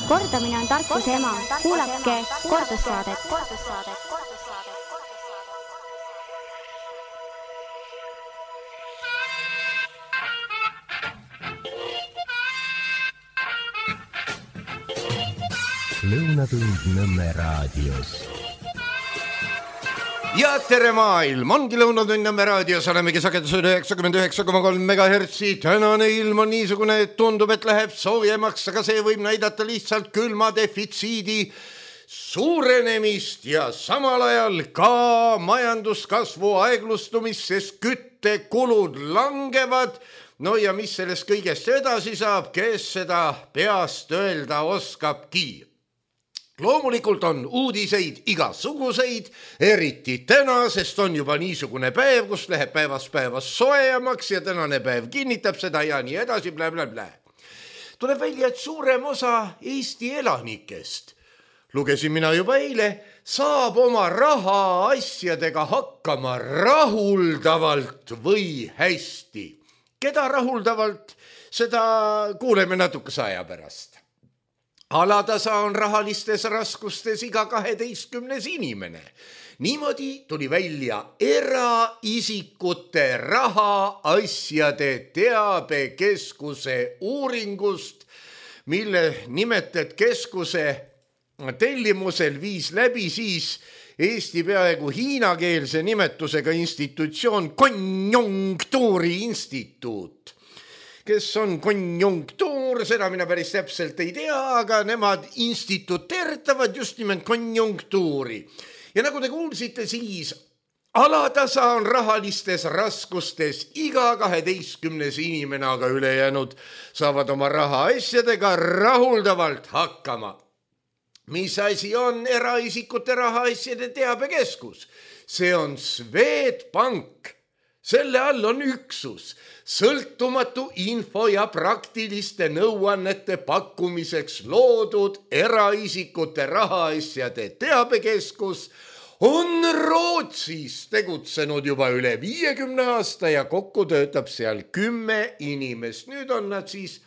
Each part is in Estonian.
Kordamine on tarkuse ema. Kuulake kordussaadet. Lõunatund Nõmme raadios. Ja tere maailm, ongi Lõunatund Nõmme raadios, olemegi sagedusel 99,3 MHz. Tänane ilm on niisugune, et tundub, et läheb soojemaks, aga see võib näidata lihtsalt külma defitsiidi suurenemist ja samal ajal ka majanduskasvu aeglustumist, sest küttekulud langevad. No ja mis sellest kõigest edasi saab, kes seda peast öelda oskabki? Loomulikult on uudiseid igasuguseid, eriti täna, sest on juba niisugune päev, kus läheb päevast soojemaks ja tänane päev kinnitab seda ja nii edasi, blä. Tuleb välja, et suurem osa Eesti elanikest, lugesin mina juba eile, saab oma raha asjadega hakkama rahuldavalt või hästi. Keda rahuldavalt, seda kuuleme natukese aja pärast. Alatasa on rahalistes raskustes iga 12. inimene. Niimoodi tuli välja eraisikute rahaasjade teabekeskuse uuringust, mille nimetet keskuse tellimusel viis läbi siis Eesti peaaegu hiinakeelse nimetusega institutsioon Konjunktuuri Instituut. Kes on konjunktuur, seda mina päris täpselt ei tea, aga nemad instituteeritavad just nimelt konjunktuuri. Ja nagu te kuulsite, siis alatasa on rahalistes raskustes iga 12. inimene, aga ülejäänud saavad oma rahaasjadega rahuldavalt hakkama. Mis asi on eraisikute rahaasjade teabekeskus? See on Swedbank. Selle all on üksus, sõltumatu info ja praktiliste nõuannete pakkumiseks loodud eraisikute rahaasjade teabekeskus on Rootsis tegutsenud juba üle 50 aasta ja kokku töötab seal 10 inimest. Nüüd on nad siis,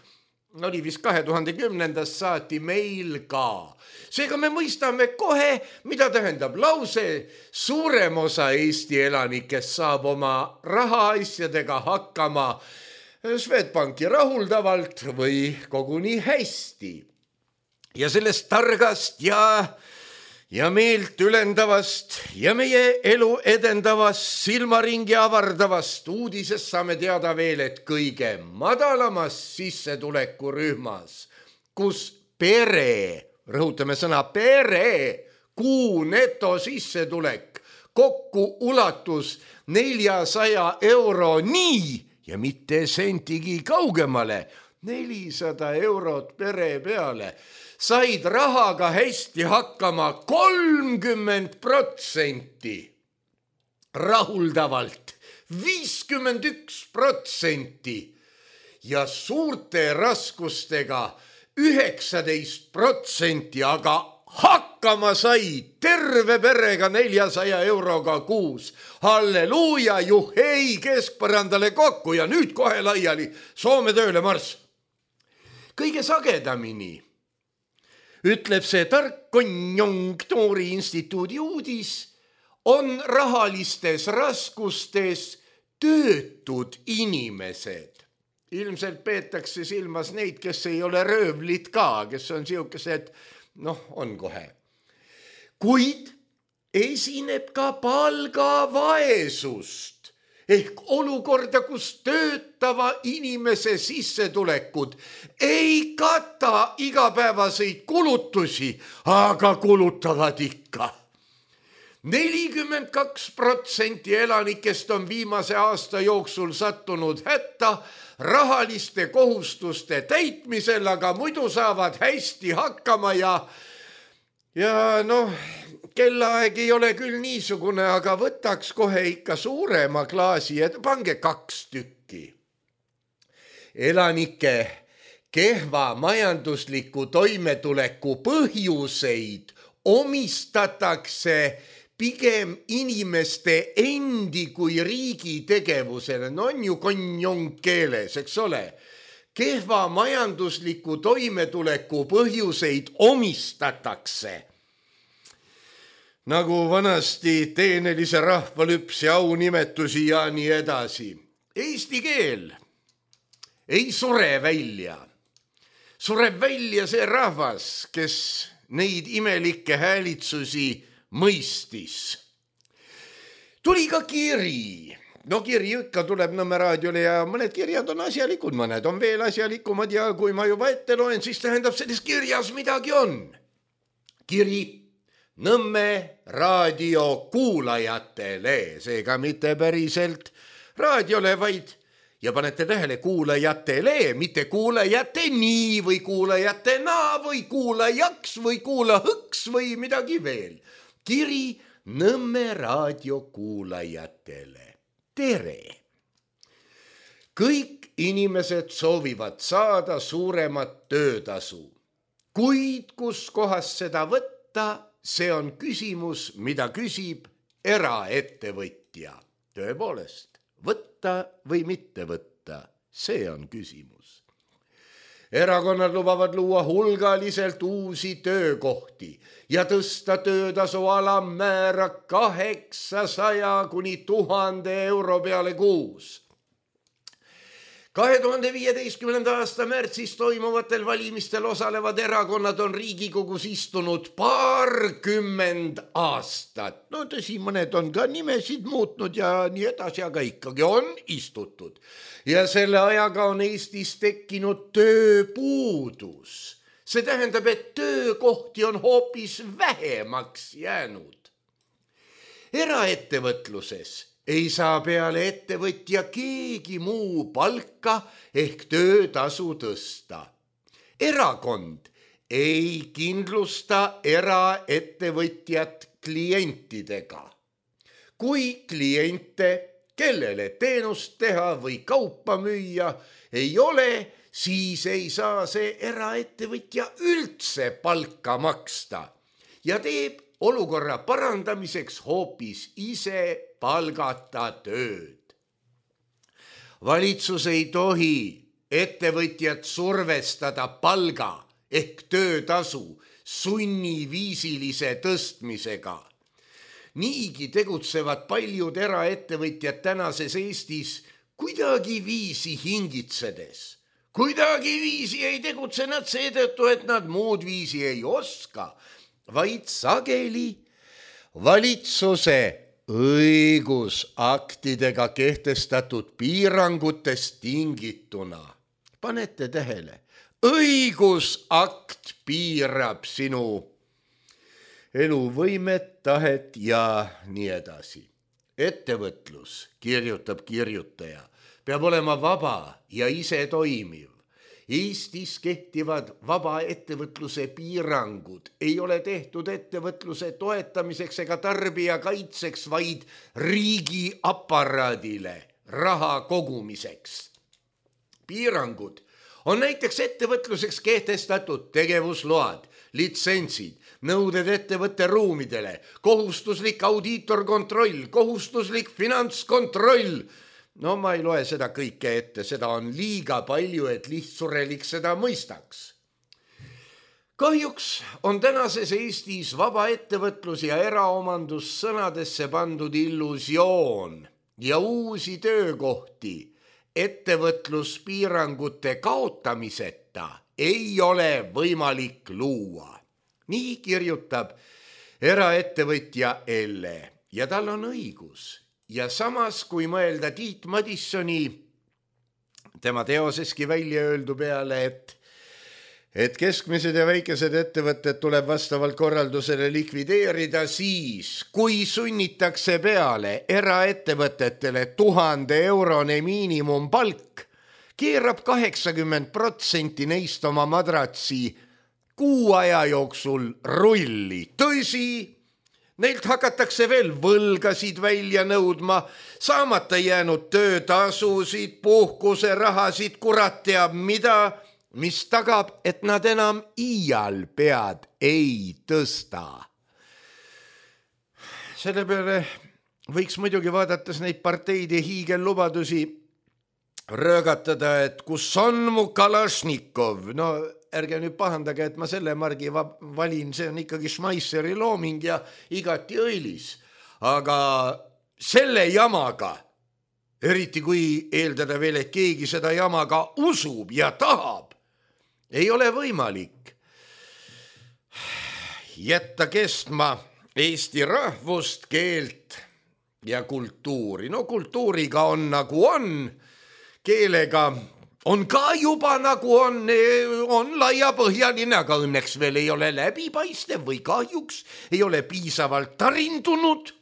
oli vist 2010. saati meil ka. Seega me mõistame kohe, mida tähendab lause, suurem osa Eesti elanikest saab oma rahaasjadega hakkama Swedbanki rahuldavalt või koguni hästi. Ja sellest targast ja meelt ülendavast ja meie elu edendavast, silmaringi avardavast uudisest saame teada veel, et kõige madalamas sissetulekurühmas, kus pere, rõhutame sõna pere, kuu netosissetulek kokku ulatus 400 euroni ja mitte sentigi kaugemale, 400 eurot pere peale, said rahaga hästi hakkama 30%, rahuldavalt 51% ja suurte raskustega 19%, aga hakkama sai terve perega 400 euroga kuus. Halleluuja, juhei, keskpõrandale kokku ja nüüd kohe laiali Soome tööle marss. Kõige sagedamini ütleb see tark Konjunktuuri Instituudi uudis, on rahalistes raskustes töötud inimesed. Ilmselt peetakse silmas neid, kes ei ole röövlid ka, kes on siukesed, on kohe. Kuid esineb ka palgavaesust ehk olukorda, kus töötava inimese sissetulekud ei kata igapäevaseid kulutusi, aga kulutavad ikka. 42% elanikest on viimase aasta jooksul sattunud hätta rahaliste kohustuste täitmisel, aga muidu saavad hästi hakkama ja kellaaeg ei ole küll niisugune, aga võtaks kohe ikka suurema klaasi ja pange 2 tükki. Elanike kehva majandusliku toimetuleku põhjuseid omistatakse pigem inimeste endi kui riigi tegevusele. On ju konjunkkeeles, eks ole. kehva majandusliku toimetuleku põhjuseid omistatakse. Nagu vanasti teenelise rahvalüpsi aunimetusi ja nii edasi. Eesti keel ei sure välja. Sureb välja see rahvas, kes neid imelikke häälitsusi mõistis. Tuli ka kiri. No kiri ikka tuleb Nõmme raadiole ja mõned kirjad on asjalikud, mõned on veel asjalikumad ja kui ma juba ette loen, siis tähendab selles kirjas midagi on. Kiri Nõmme raadio kuulajatele, seega mitte päriselt raadiole, vaid ja panete tähele kuulajatele, mitte kuulajateni või kuulajatena või kuulajaks või kuulahõks või midagi veel. Kiri Nõmme raadio kuulajatele. Tere! Kõik inimesed soovivad saada suuremat töötasu. Kuid kus kohas seda võtta, see on küsimus, mida küsib eraettevõtja. Tõepoolest, võtta või mitte võtta, see on küsimus. Erakonnad lubavad luua hulgaliselt uusi töökohti ja tõsta töötasu alammäära 800 kuni 1000 euro peale kuus. 2015. aasta märtsis toimuvatel valimistel osalevad erakonnad on Riigikogus istunud 20 aastat. No tõsi, mõned on ka nimesid muutnud ja nii edasi, aga ikkagi on istutud. Ja selle ajaga on Eestis tekkinud tööpuudus. See tähendab, et töökohti on hoopis vähemaks jäänud. Eraettevõtluses ei saa peale ettevõtja keegi muu palka ehk töötasu tõsta. Erakond ei kindlusta eraettevõtjat klientidega. Kui kliente, kellele teenust teha või kaupa müüa ei ole, siis ei saa see eraettevõtja üldse palka maksta ja teeb olukorra parandamiseks hoopis ise palgata tööd. Valitsus ei tohi ettevõtjat survestada palga ehk töötasu sunniviisilise tõstmisega. Niigi tegutsevad paljud eraettevõtjad tänases Eestis kuidagi viisi hingitsedes. Kuidagi viisi ei tegutse nad seetõttu, et nad muud viisi ei oska, vaid sageli valitsuse õigusaktidega kehtestatud piirangutest tingituna. Panete tähele, õigusakt piirab sinu eluvõimet, tahet ja nii edasi. Ettevõtlus, kirjutab kirjutaja, peab olema vaba ja ise toimiv. Eestis kehtivad vaba ettevõtluse piirangud ei ole tehtud ettevõtluse toetamiseks ega tarbija kaitseks, vaid riigi aparaadile raha kogumiseks. Piirangud on näiteks ettevõtluseks kehtestatud tegevusload, litsentsid, nõuded ettevõtte ruumidele, kohustuslik audiitorkontroll, kohustuslik finantskontroll. No ma ei loe seda kõike ette, seda on liiga palju, et lihtsurelik seda mõistaks. Kahjuks on tänases Eestis vaba ettevõtlus ja eraomandus sõnadesse pandud illusioon ja uusi töökohti ettevõtluspiirangute kaotamiseta ei ole võimalik luua. Nii kirjutab eraettevõtja Elle ja tal on õigus. Ja samas, kui mõelda Tiit Madissoni, tema teoseski välja öeldu peale, et keskmised ja väikesed ettevõtted tuleb vastavalt korraldusele likvideerida, siis kui sunnitakse peale eraettevõtetele 1000 eurone miinimumpalk, keerab 80% neist oma madratsi kuu aja jooksul rulli. Tõsi, neilt hakatakse veel võlgasid välja nõudma, saamata jäänud töötasusid, puhkuserahasid, kurat teab mida, mis tagab, et nad enam iial pead ei tõsta. Selle peale võiks muidugi vaadates neid parteide hiigellubadusi röögatada, et kus on mu Kalašnikov. No ärge nüüd pahandage, et ma selle margi valin, see on ikkagi Schmeisseri looming ja igati õilis. Aga selle jamaga, eriti kui eeldada veel, et keegi seda jamaga usub ja tahab, ei ole võimalik jätta kestma Eesti rahvust, keelt ja kultuuri. No kultuuriga on nagu on, keelega on ka juba nagu on laiapõhjaline, aga õnneks veel ei ole läbipaistev või kahjuks ei ole piisavalt tarindunud.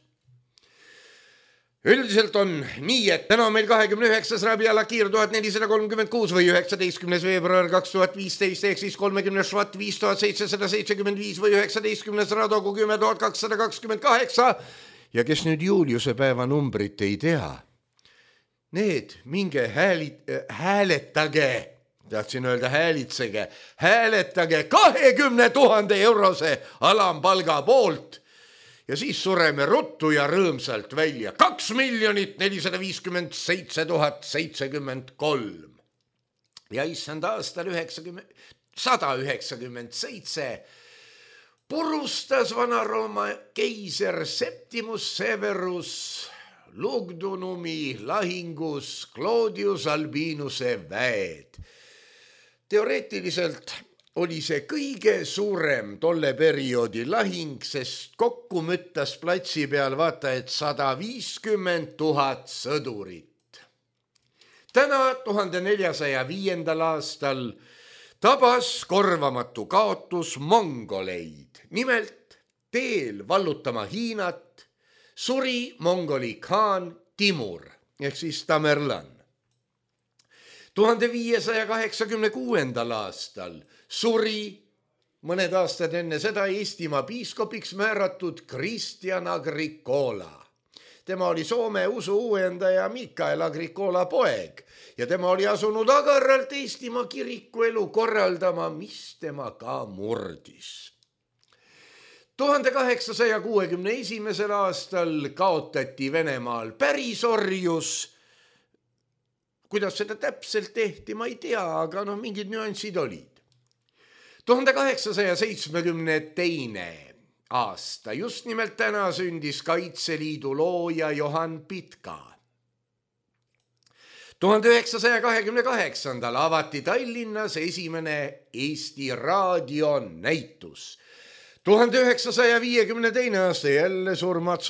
Üldiselt on nii, et täna on meil 29. Rabiala Kiir 1436 või 19. veebruar 2015 ehk siis 30. Švat 5775 või 19. Radogu 10228 ja kes nüüd Juliuse päeva numbrit ei tea, need minge hääletage, tahtsin öelda häälitsege, hääletage 20 000 eurose alampalga poolt ja siis sureme ruttu ja rõõmsalt välja 2 457 073. Ja issand aastal 197 purustas Vana-Rooma keiser Septimus Severus Lugdunumi lahingus Claudius Albinuse väed. Teoreetiliselt oli see kõige suurem tolle perioodi lahing, sest kokku müttas platsi peal vaata et 150 000 sõdurit. Täna 1405. aastal tabas korvamatu kaotus mongoleid. Nimelt teel vallutama Hiinat suri mongoli khaan Timur ehk siis Tamerlan. 1586. aastal suri mõned aastad enne seda Eestimaa piiskopiks määratud Kristjan Agricola. Tema oli Soome usu uuendaja Mikael Agricola poeg ja tema oli asunud agarralt Eestimaa kiriku elu korraldama, mis tema ka murdis. 1861. aastal kaotati Venemaal pärisorjus. Kuidas seda täpselt tehti, ma ei tea, aga mingid nüansid olid. 1872. aasta, just nimelt täna sündis Kaitseliidu looja Johan Pitka. 1928. avati Tallinnas esimene Eesti raadionäitus. 1952. aasta jälle surmad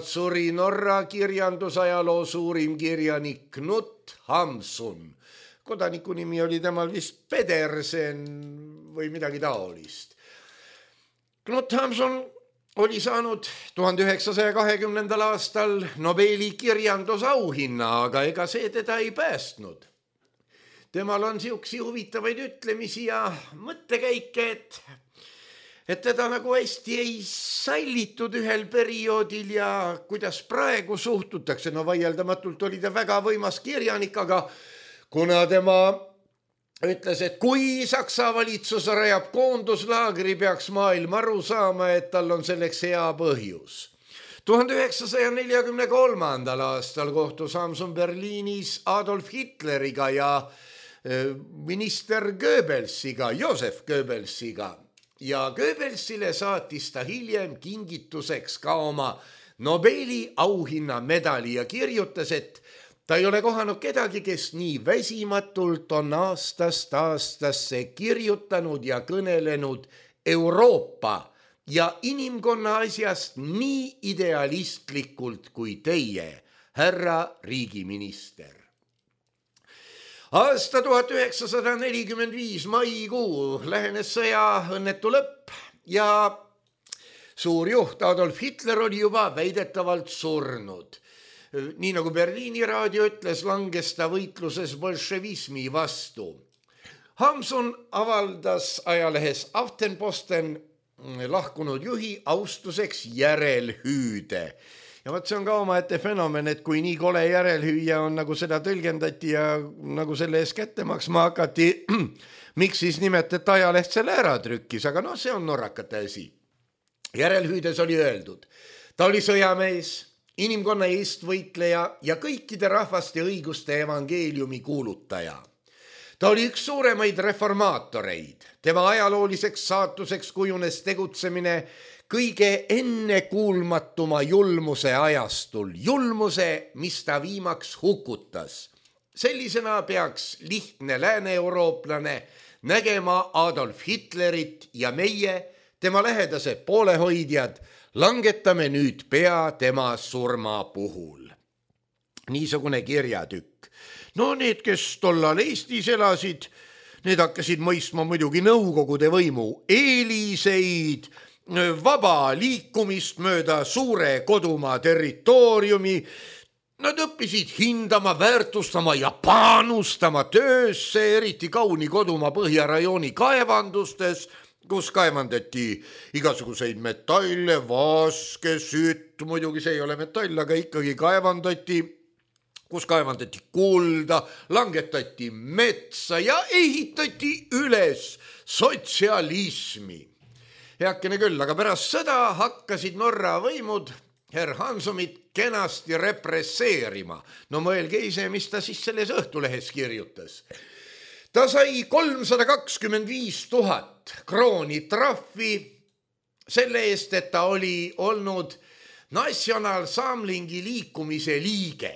suri Norra kirjandusajaloo suurim kirjanik Knut Hamsun. Kodaniku nimi oli temal vist Pedersen või midagi taolist. Knut Hamsun oli saanud 1920. aastal Nobeli kirjandusauhinna, aga ega see teda ei päästnud. Temal on siuksi huvitavaid ütlemisi ja mõttekäike, et teda nagu hästi ei sallitud ühel perioodil ja kuidas praegu suhtutakse. No vaieldamatult oli ta väga võimas kirjanik, aga kuna tema ütles, et kui Saksa valitsus rajab koonduslaagri, peaks maailm aru saama, et tal on selleks hea põhjus. 1943. aastal kohtus Hamsun Berliinis Adolf Hitleriga ja minister Goebbelsiga, Josef Goebbelsiga. Ja Goebbelsile saatis ta hiljem kingituseks ka oma Nobeli auhinna medali ja kirjutas, et ta ei ole kohanud kedagi, kes nii väsimatult on aastast aastasse kirjutanud ja kõnelenud Euroopa ja inimkonna asjast nii idealistlikult kui teie, härra riigiminister. Aasta 1945 maikuu lähenes sõja õnnetu lõpp ja suur juht Adolf Hitler oli juba väidetavalt surnud. Nii nagu Berliini raadio ütles, langes ta võitluses bolševismi vastu. Hamsun avaldas ajalehes Aftenposten lahkunud juhi austuseks järelhüüde. Ja vaat see on ka omaette fenomen, et kui nii kole järelhüüja on, nagu seda tõlgendati ja nagu selle ees kätte maksma hakati, miks siis nimetati ajaleht selle ära trükkis, aga see on norrakate asi. Järelhüüdes oli öeldud, ta oli sõjamees, inimkonna eestvõitleja ja kõikide rahvaste õiguste evangeeliumi kuulutaja. Ta oli üks suuremaid reformaatoreid. Tema ajalooliseks saatuseks kujunes tegutsemine kõige ennekuulmatuma julmuse ajastul, julmuse, mis ta viimaks hukutas. Sellisena peaks lihtne lääne-eurooplane nägema Adolf Hitlerit ja meie, tema lähedased poolehoidjad, langetame nüüd pea tema surma puhul. Niisugune kirjatükk. No need, kes tollal Eestis elasid, need hakkasid mõistma muidugi nõukogude võimu eeliseid, vaba liikumist mööda suure kodumaa territooriumi. Nad õppisid hindama, väärtustama ja panustama töösse, eriti kauni kodumaa põhjarajooni kaevandustes, kus kaevandati igasuguseid metalle, vaske, sütt, muidugi see ei ole metall, aga ikkagi kaevandati, kus kaevandati kulda, langetati metsa ja ehitati üles sotsialismi. Heakene küll, aga pärast sõda hakkasid Norra võimud herr Hansomit kenasti represseerima. No mõelge ise, mis ta siis selles Õhtulehes kirjutas. Ta sai 325 000 krooni trahvi selle eest, et ta oli olnud Nationalsamlingi liikumise liige.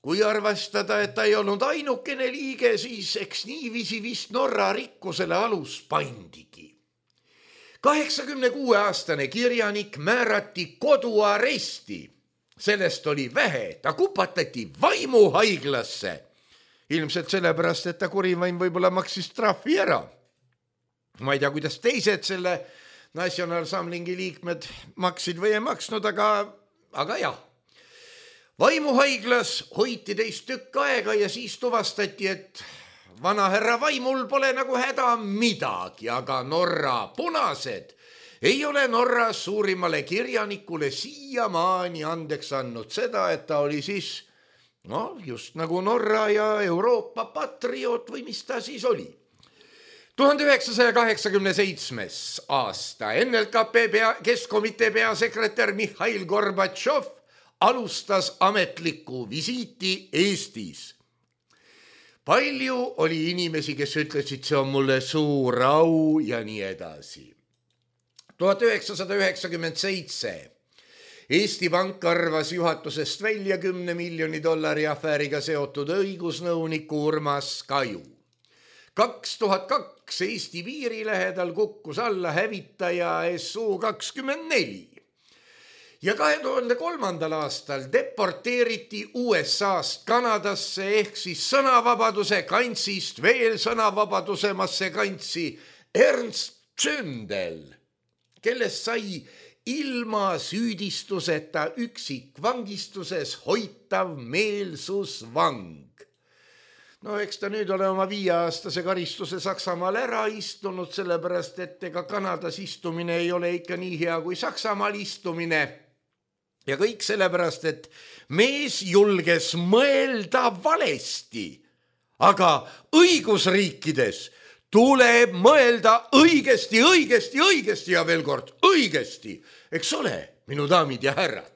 Kui arvestada, et ta ei olnud ainukene liige, siis eks niiviisi vist Norra rikkusele alus pandigi. 86-aastane kirjanik määrati koduaresti. Sellest oli vähe, ta kupatati vaimuhaiglasse. Ilmselt sellepärast, et ta kurivaim võib-olla maksis trahvi ära. Ma ei tea, kuidas teised selle Nationalsamlingi liikmed maksid või ei maksnud, aga jah. Vaimuhaiglas hoiti teist tükk aega ja siis tuvastati, et vana härra vaimul pole nagu häda midagi, aga Norra punased ei ole Norra suurimale kirjanikule siiamaani andeks andnud seda, et ta oli siis just nagu Norra ja Euroopa patrioot või mis ta siis oli. 1987. aasta NLKP keskkomitee peasekretär Mihhail Gorbatšov alustas ametlikku visiiti Eestis. Palju oli inimesi, kes ütlesid, see on mulle suur au ja nii edasi. 1997 Eesti Pank arvas juhatusest välja $10 miljoni afääriga seotud õigusnõuniku Urmas Kaju. 2002 Eesti piiri lähedal kukkus alla hävitaja Su-24. Ja 2003. aastal deporteeriti USA-st Kanadasse ehk siis sõnavabaduse kantsist veel sõnavabadusemasse kantsi Ernst Zündel, kellest sai ilma süüdistuseta üksikvangistuses hoitav meelsusvang. No eks ta nüüd ole oma 5-aastase karistuse Saksamaal ära istunud, sellepärast et ega Kanadas istumine ei ole ikka nii hea kui Saksamaal istumine. Ja kõik sellepärast, et mees julges mõelda valesti, aga õigusriikides tuleb mõelda õigesti ja veel kord õigesti, eks ole, minu daamid ja härrad.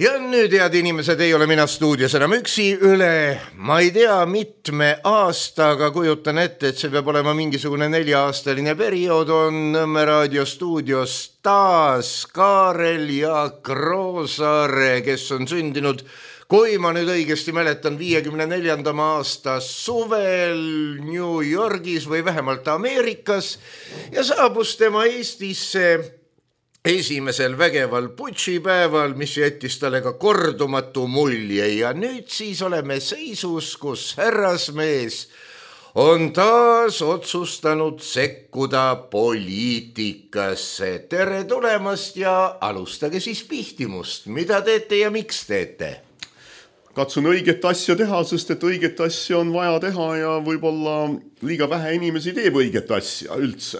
Ja nüüd, head inimesed, ei ole mina stuudios enam üksi üle, ma ei tea, mitme aasta, aga kujutan ette, et see peab olema mingisugune 4-aastaline periood, on Nõmme Raadio stuudios taas Kaarel Jaak Roosaare, kes on sündinud, kui ma nüüd õigesti mäletan, 54. aasta suvel New Yorgis või vähemalt Ameerikas ja saabus tema Eestisse esimesel vägeval putšipäeval, mis jättis talle ka kordumatu mulje ja nüüd siis oleme seisus, kus härrasmees on taas otsustanud sekkuda poliitikasse. Tere tulemast ja alustage siis pihtimust. Mida teete ja miks teete? Katsun õiget asja teha, sest et õiget asja on vaja teha ja võib-olla liiga vähe inimesi teeb õiget asja üldse.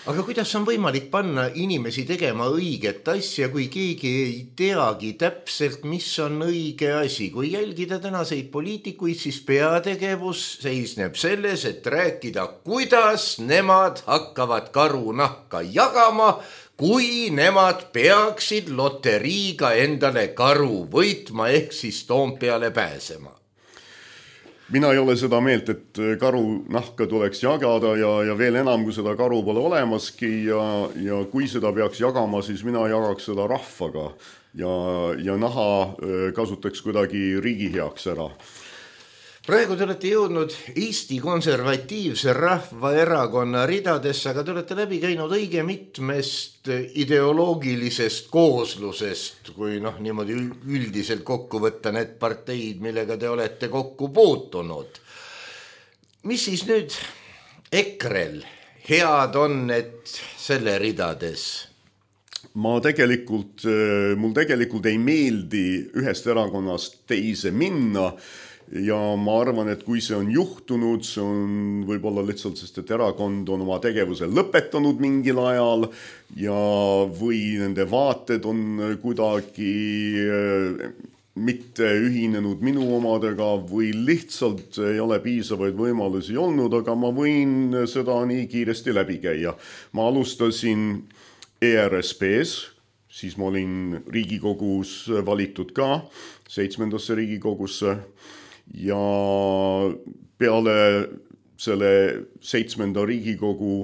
Aga kuidas on võimalik panna inimesi tegema õiget asja, kui keegi ei teagi täpselt, mis on õige asi? Kui jälgida tänaseid poliitikuid, siis peategevus seisneb selles, et rääkida, kuidas nemad hakkavad karunahka jagama, kui nemad peaksid loteriiga endale karu võitma ehk siis Toompeale pääsema? Mina ei ole seda meelt, et karu nahka tuleks jagada ja veel enam, kui seda karu pole olemaski ja kui seda peaks jagama, siis mina jagaks seda rahvaga ja naha kasutaks kuidagi riigi heaks ära. Praegu te olete jõudnud Eesti Konservatiivse Rahvaerakonna ridadesse, aga te olete läbi käinud õige mitmest ideoloogilisest kooslusest, kui niimoodi üldiselt kokku võtta need parteid, millega te olete kokku puutunud. Mis siis nüüd EKRE-l head on, et selle ridades? Mul tegelikult ei meeldi ühest erakonnast teise minna ja ma arvan, et kui see on juhtunud, see on võib-olla lihtsalt, sest et erakond on oma tegevuse lõpetanud mingil ajal või nende vaated on kuidagi mitte ühinenud minu omadega või lihtsalt ei ole piisavaid võimalusi olnud, aga ma võin seda nii kiiresti läbi käia. Ma alustasin ERSP-s, siis ma olin Riigikogus valitud ka 7. Riigikogusse ja peale selle 7. Riigikogu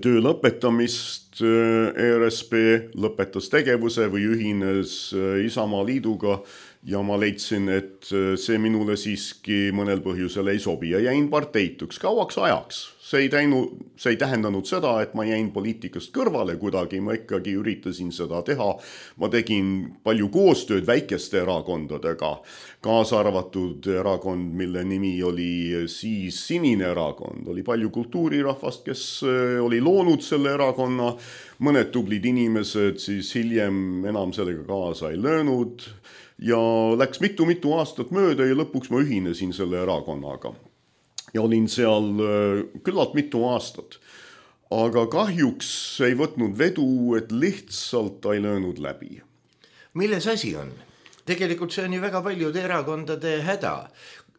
töö lõpetamist ERSP lõpetas tegevuse või ühines Isamaa Liiduga ja ma leidsin, et see minule siiski mõnel põhjusel ei sobi ja jäin parteituks kauaks ajaks. See ei tähendanud seda, et ma jäin poliitikast kõrvale kuidagi, ma ikkagi üritasin seda teha. Ma tegin palju koostööd väikeste erakondadega, kaasa arvatud erakond, mille nimi oli siis Sinine erakond. Oli palju kultuurirahvast, kes oli loonud selle erakonna, mõned tublid inimesed siis hiljem enam sellega kaasa ei löönud ja läks mitu aastat mööda ja lõpuks ma ühinesin selle erakonnaga. Ja olin seal küllalt mitu aastat, aga kahjuks ei võtnud vedu, et lihtsalt ei löönud läbi. Milles asi on? Tegelikult see on ju väga paljude erakondade häda.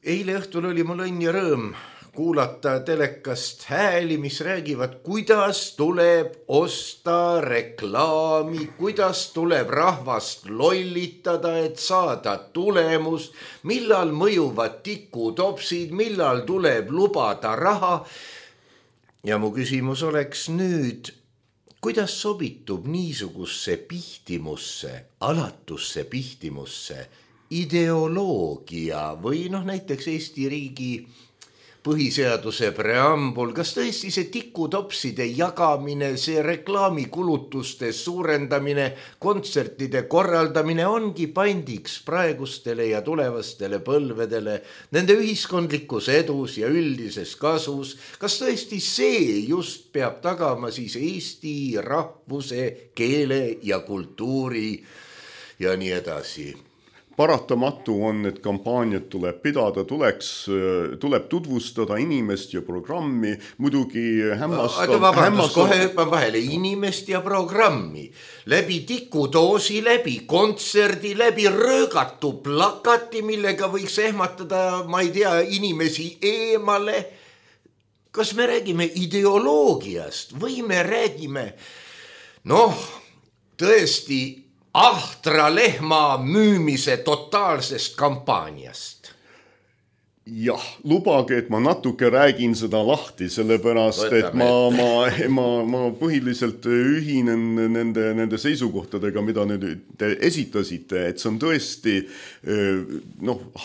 Eile õhtul oli mul õnn ja rõõm kuulata telekast hääli, mis räägivad, kuidas tuleb osta reklaami, kuidas tuleb rahvast lollitada, et saada tulemus, millal mõjuvad tikutopsid, millal tuleb lubada raha. Ja mu küsimus oleks nüüd, kuidas sobitub niisugusse pihtimusse, alatusse pihtimusse ideoloogia või näiteks Eesti riigi põhiseaduse preambul, kas tõesti see tikutopside jagamine, see reklaamikulutuste suurendamine, kontsertide korraldamine ongi pandiks praegustele ja tulevastele põlvedele, nende ühiskondlikus edus ja üldises kasus? Kas tõesti see just peab tagama siis Eesti rahvuse, keele ja kultuuri ja nii edasi? Paratamatu on, et kampaaniat tuleb pidada, tuleb tutvustada inimest ja programmi, muidugi kohe hüppan vahele, inimest ja programmi. Läbi tikudoosi, läbi kontserdi, läbi röögatu plakati, millega võiks ehmatada, ma ei tea, inimesi eemale. Kas me räägime ideoloogiast või me räägime, tõesti, ahtra lehma müümise totaalsest kampaaniast? Jah, lubage, et ma natuke räägin seda lahti, sellepärast, et ma põhiliselt ühinen nende seisukohtadega, mida te esitasite, et see on tõesti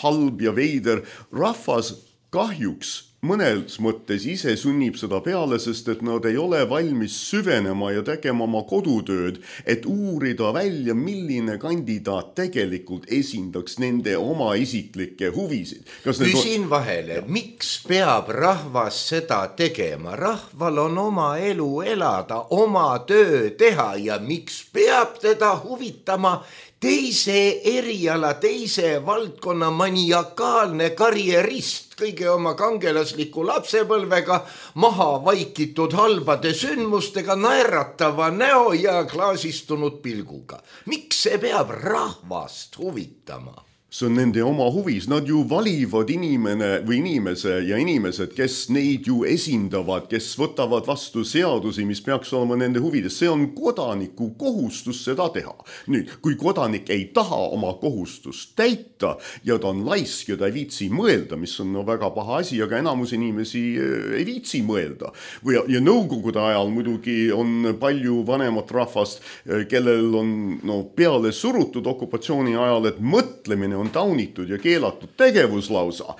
halb ja veider. Rahvas kahjuks mõnes mõttes ise sunnib seda peale, sest et nad ei ole valmis süvenema ja tegema oma kodutööd, et uurida välja, milline kandidaat tegelikult esindaks nende oma isiklikke huvisid. Küsin vahele, miks peab rahvas seda tegema? Rahval on oma elu elada, oma töö teha ja miks peab teda huvitama teise eriala, teise valdkonna maniakaalne karjerist, kõige oma kangelasliku lapsepõlvega, maha vaikitud halbade sündmustega, naeratava näo ja klaasistunud pilguga. Miks see peab rahvast huvitama? see on nende oma huvis, nad ju valivad inimesed, kes neid ju esindavad, kes võtavad vastu seadusi, mis peaks olema nende huvides. See on kodaniku kohustus seda teha. Nüüd, kui kodanik ei taha oma kohustust täita ja ta on laisk ja ta ei viitsi mõelda, mis on väga paha asi, aga enamus inimesi ei viitsi mõelda. Ja nõukogude ajal muidugi on palju vanemat rahvast, kellel on peale surutud okupatsiooni ajal, et mõtlemine on taunitud ja keelatud tegevuslausa.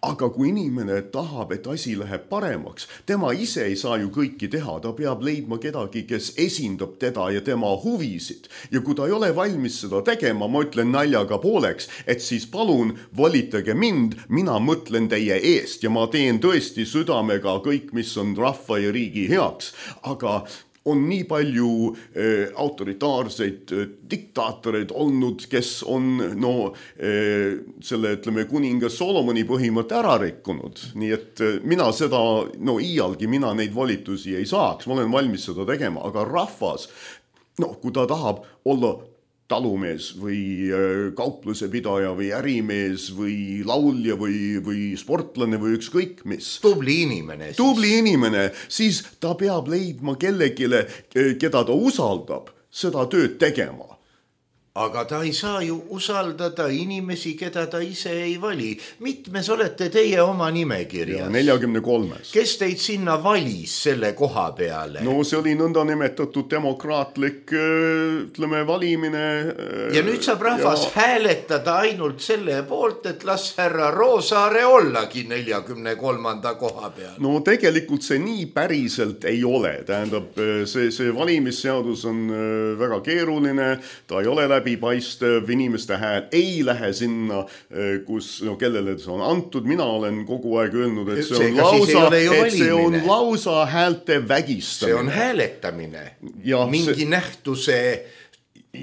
Aga kui inimene tahab, et asi läheb paremaks, tema ise ei saa ju kõiki teha, ta peab leidma kedagi, kes esindab teda ja tema huvisid. Ja kui ta ei ole valmis seda tegema, ma ütlen naljaga pooleks, et siis palun volitage mind, mina mõtlen teie eest ja ma teen tõesti südamega kõik, mis on rahva ja riigi heaks. Aga on nii palju autoritaarseid diktaatoreid olnud, kes on selle, ütleme, kuningas Solomoni põhimõtte ära rikkunud. Nii et mina seda, iialgi mina neid volitusi ei saaks, ma olen valmis seda tegema, aga rahvas, kui ta tahab olla talumees või kaupluse pidaja või ärimees või laulja või sportlane või ükskõik mis. Tubli inimene, siis ta peab leidma kellegile, keda ta usaldab, seda tööd tegema. Aga ta ei saa ju usaldada inimesi, keda ta ise ei vali. Mitmes olete teie oma nimekirjas? 43. Kes teid sinna valis selle koha peale? See oli nõnda nimetatud demokraatlik, ütleme, valimine. Ja nüüd saab rahvas hääletada ainult selle poolt, et las härra Roosaare ollagi 43. koha peal. Tegelikult see nii päriselt ei ole. Tähendab, see valimisseadus on väga keeruline, ta ei ole läbipaistev, inimeste hääl ei lähe sinna, kus, kellele see on antud. Mina olen kogu aeg öelnud, et see on lausa häälte vägistamine. See on hääletamine. Mingi nähtuse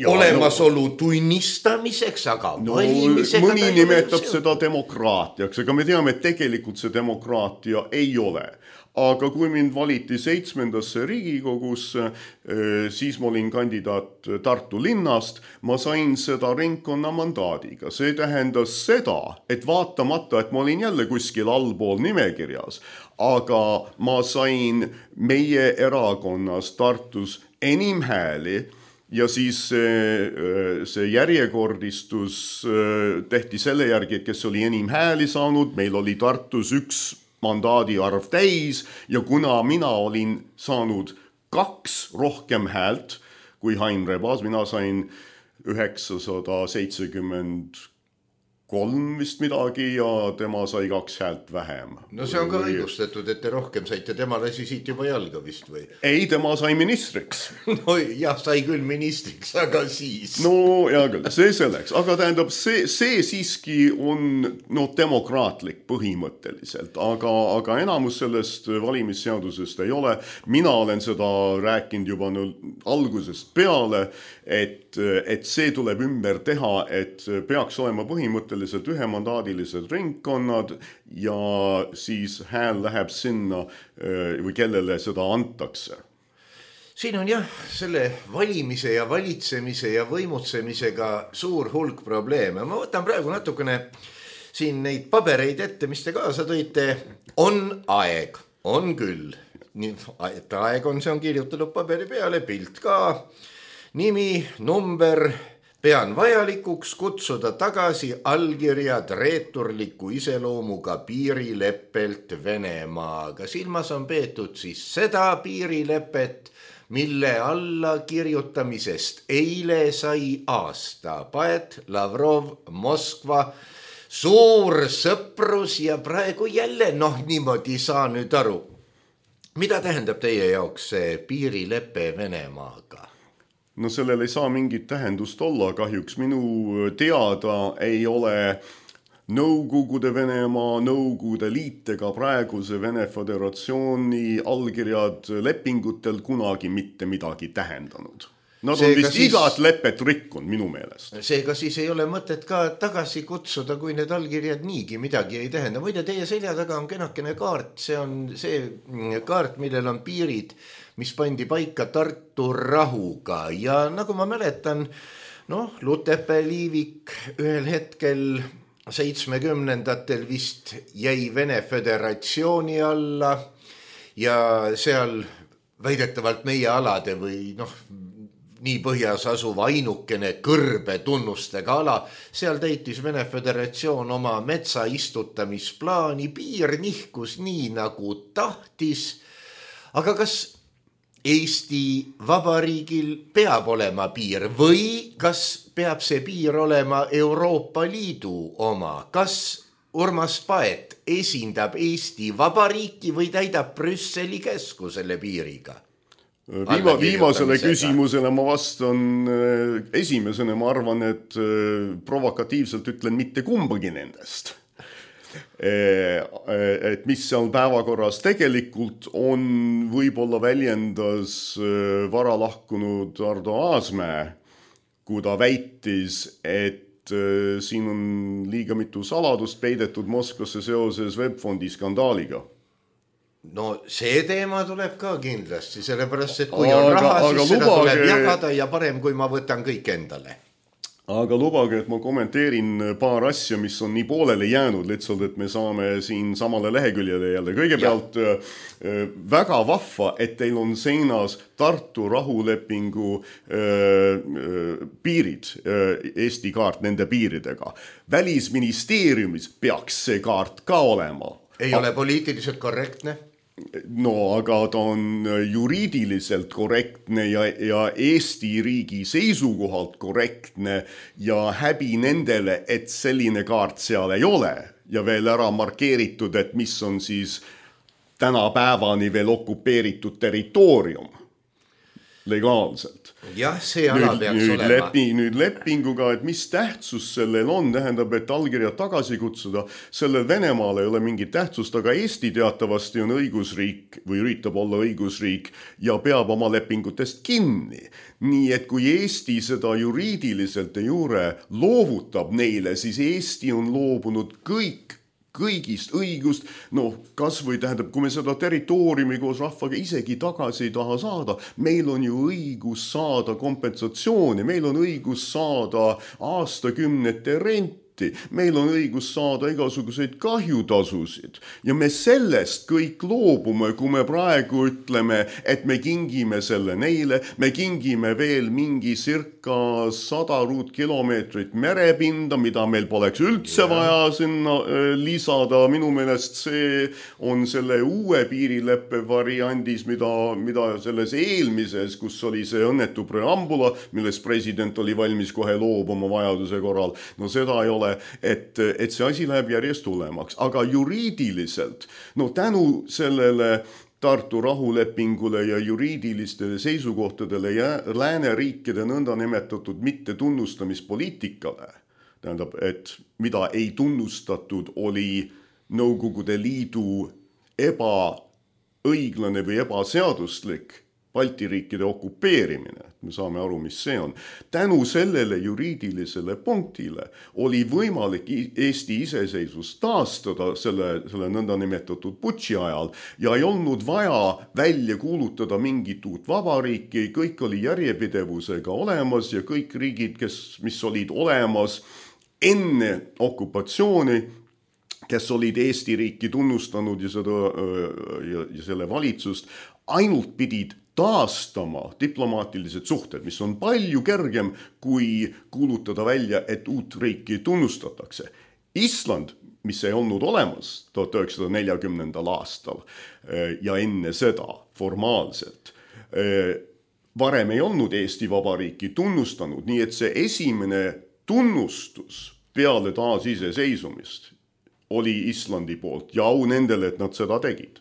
olemasolu tunnistamiseks, aga valimisega mõni nimetab seda demokraatiaks, aga me teame, et tegelikult see demokraatia ei ole. Aga kui mind valiti 7. Riigikogusse, siis ma olin kandidaat Tartu linnast, ma sain seda ringkonna mandaadiga. See tähendas seda, et vaatamata, et ma olin jälle kuskil allpool nimekirjas, aga ma sain meie erakonnas Tartus enim hääli ja siis see järjekordistus tehti selle järgi, et kes oli enim hääli saanud, meil oli Tartus üks mandaadi arv täis ja kuna mina olin saanud 2 rohkem häält kui Hain Rebas, mina sain 973 vist midagi ja tema sai 2 häält vähem. See on ka õigustatud, et te rohkem saite, tema lasi siit juba jalga vist või? Ei, tema sai ministriks. Jah, sai küll ministriks, aga siis. Hea küll, see selleks, aga tähendab, see siiski on demokraatlik põhimõtteliselt, aga enamus sellest valimisseadusest ei ole. Mina olen seda rääkinud juba algusest peale, et see tuleb ümber teha, et peaks olema põhimõtteliselt ühemandaadilised ringkonnad ja siis hääl läheb sinna või kellele seda antakse. Siin on selle valimise ja valitsemise ja võimutsemisega suur hulk probleeme. Ma võtan praegu natukene siin neid pabereid ette, mis te kaasa tõite. On aeg, on küll. Et aeg on, see on kirjutatud paberi peale, pilt ka. Nimi, number, pean vajalikuks kutsuda tagasi allkirjad reeturliku iseloomuga piirileppelt Venemaaga. Silmas on peetud siis seda piirilepet, mille alla kirjutamisest eile sai aasta. Paet, Lavrov, Moskva, suur sõprus ja praegu jälle, niimoodi saa nüüd aru. Mida tähendab teie jaoks see piirilepe Venemaaga? Sellel ei saa mingit tähendust olla, kahjuks minu teada ei ole Nõukogude Venemaa, Nõukogude Liit ega praeguse Vene Föderatsiooni allkirjad lepingutel kunagi mitte midagi tähendanud. Nad on vist igat lepet rikkunud minu meelest. Seega siis ei ole mõtet ka tagasi kutsuda, kui need allkirjad niigi midagi ei tähenda. Muide, teie selja taga on kenakene kaart, see on see kaart, millel on piirid, mis pandi paika Tartu rahuga ja nagu ma mäletan, Noh, Lutepää-Liivik ühel hetkel 70-ndatel vist jäi Vene Föderatsiooni alla ja seal väidetavalt meie alade või nii põhjas asuv ainukene kõrbe tunnustega ala, seal täitis Vene Föderatsioon oma metsa istutamisplaani, piir nihkus nii nagu tahtis, aga kas Eesti Vabariigil peab olema piir või kas peab see piir olema Euroopa Liidu oma? Kas Urmas Paet esindab Eesti Vabariiki või täidab Brüsseli käsku selle piiriga? Viimasele küsimusele ma vastan esimesena, ma arvan, et provokatiivselt ütlen mitte kumbagi nendest. Et mis seal päevakorras tegelikult on, võib-olla väljendas vara lahkunud Ardo Aasmäe, kui ta väitis, et siin on liiga mitu saladust peidetud Moskvasse seoses Webfondi skandaaliga. No see teema tuleb ka kindlasti, sellepärast, et kui on raha, siis seda tuleb jagada ja parem, kui ma võtan kõik endale. Aga lubage, et ma kommenteerin paar asja, mis on nii poolele jäänud, lihtsalt, et me saame siin samale leheküljele jälle. Kõigepealt väga vahva, et teil on seinas Tartu rahulepingu piirid, Eesti kaart nende piiridega. Välisministeeriumis peaks see kaart ka olema. Ei ole poliitiliselt korrektne? No, aga ta on juriidiliselt korrektne ja Eesti riigi seisukohalt korrektne ja häbi nendele, et selline kaart seal ei ole ja veel ära markeeritud, et mis on siis tänapäevani veel okupeeritud territoorium legaalselt. Jah, see ala peaks olema. Nüüd lepinguga, et mis tähtsus sellel on, tähendab, et allkirjad tagasi kutsuda, sellel Venemaal ei ole mingit tähtsust, aga Eesti teatavasti on õigusriik või üritab olla õigusriik ja peab oma lepingutest kinni. Nii et kui Eesti seda juriidiliselt ei juure loovutab neile, siis Eesti on loobunud kõigist õigust, kas või tähendab, kui me seda territooriumi koos rahvaga isegi tagasi ei taha saada, meil on ju õigus saada kompensatsiooni, meil on õigus saada aastakümnete renti, meil on õigus saada igasuguseid kahjutasusid ja me sellest kõik loobume, kui me praegu ütleme, et me kingime selle neile, me kingime veel mingi circa 100 ruutkilomeetrit merepinda, mida meil poleks üldse vaja sinna lisada. Minu meelest see on selle uue piirileppe variandis, mida selles eelmises, kus oli see õnnetu preambula, millest president oli valmis kohe loobuma vajaduse korral. No seda ei ole, et see asi läheb järjest tulemaks. Aga juriidiliselt, tänu sellele Tartu rahulepingule ja juriidilistele seisukohtadele ja lääneriikide nõnda nimetatud mittetunnustamispoliitikale, tähendab, et mida ei tunnustatud, oli Nõukogude Liidu ebaõiglane või ebaseaduslik Balti riikide okupeerimine, me saame aru, mis see on. Tänu sellele juriidilisele punktile oli võimalik Eesti iseseisvus taastada selle nõnda nimetatud putši ajal ja ei olnud vaja välja kuulutada mingit uut vabariiki, kõik oli järjepidevusega olemas ja kõik riigid, mis olid olemas enne okupatsiooni, kes olid Eesti riiki tunnustanud ja selle valitsust, ainult pidid taastama diplomaatilised suhted, mis on palju kergem kui kuulutada välja, et uut riiki tunnustatakse. Island, mis ei olnud olemas 1940. aastal ja enne seda formaalselt, varem ei olnud Eesti Vabariiki tunnustanud, nii et see esimene tunnustus peale taasiseseisumist oli Islandi poolt ja au nendele, et nad seda tegid.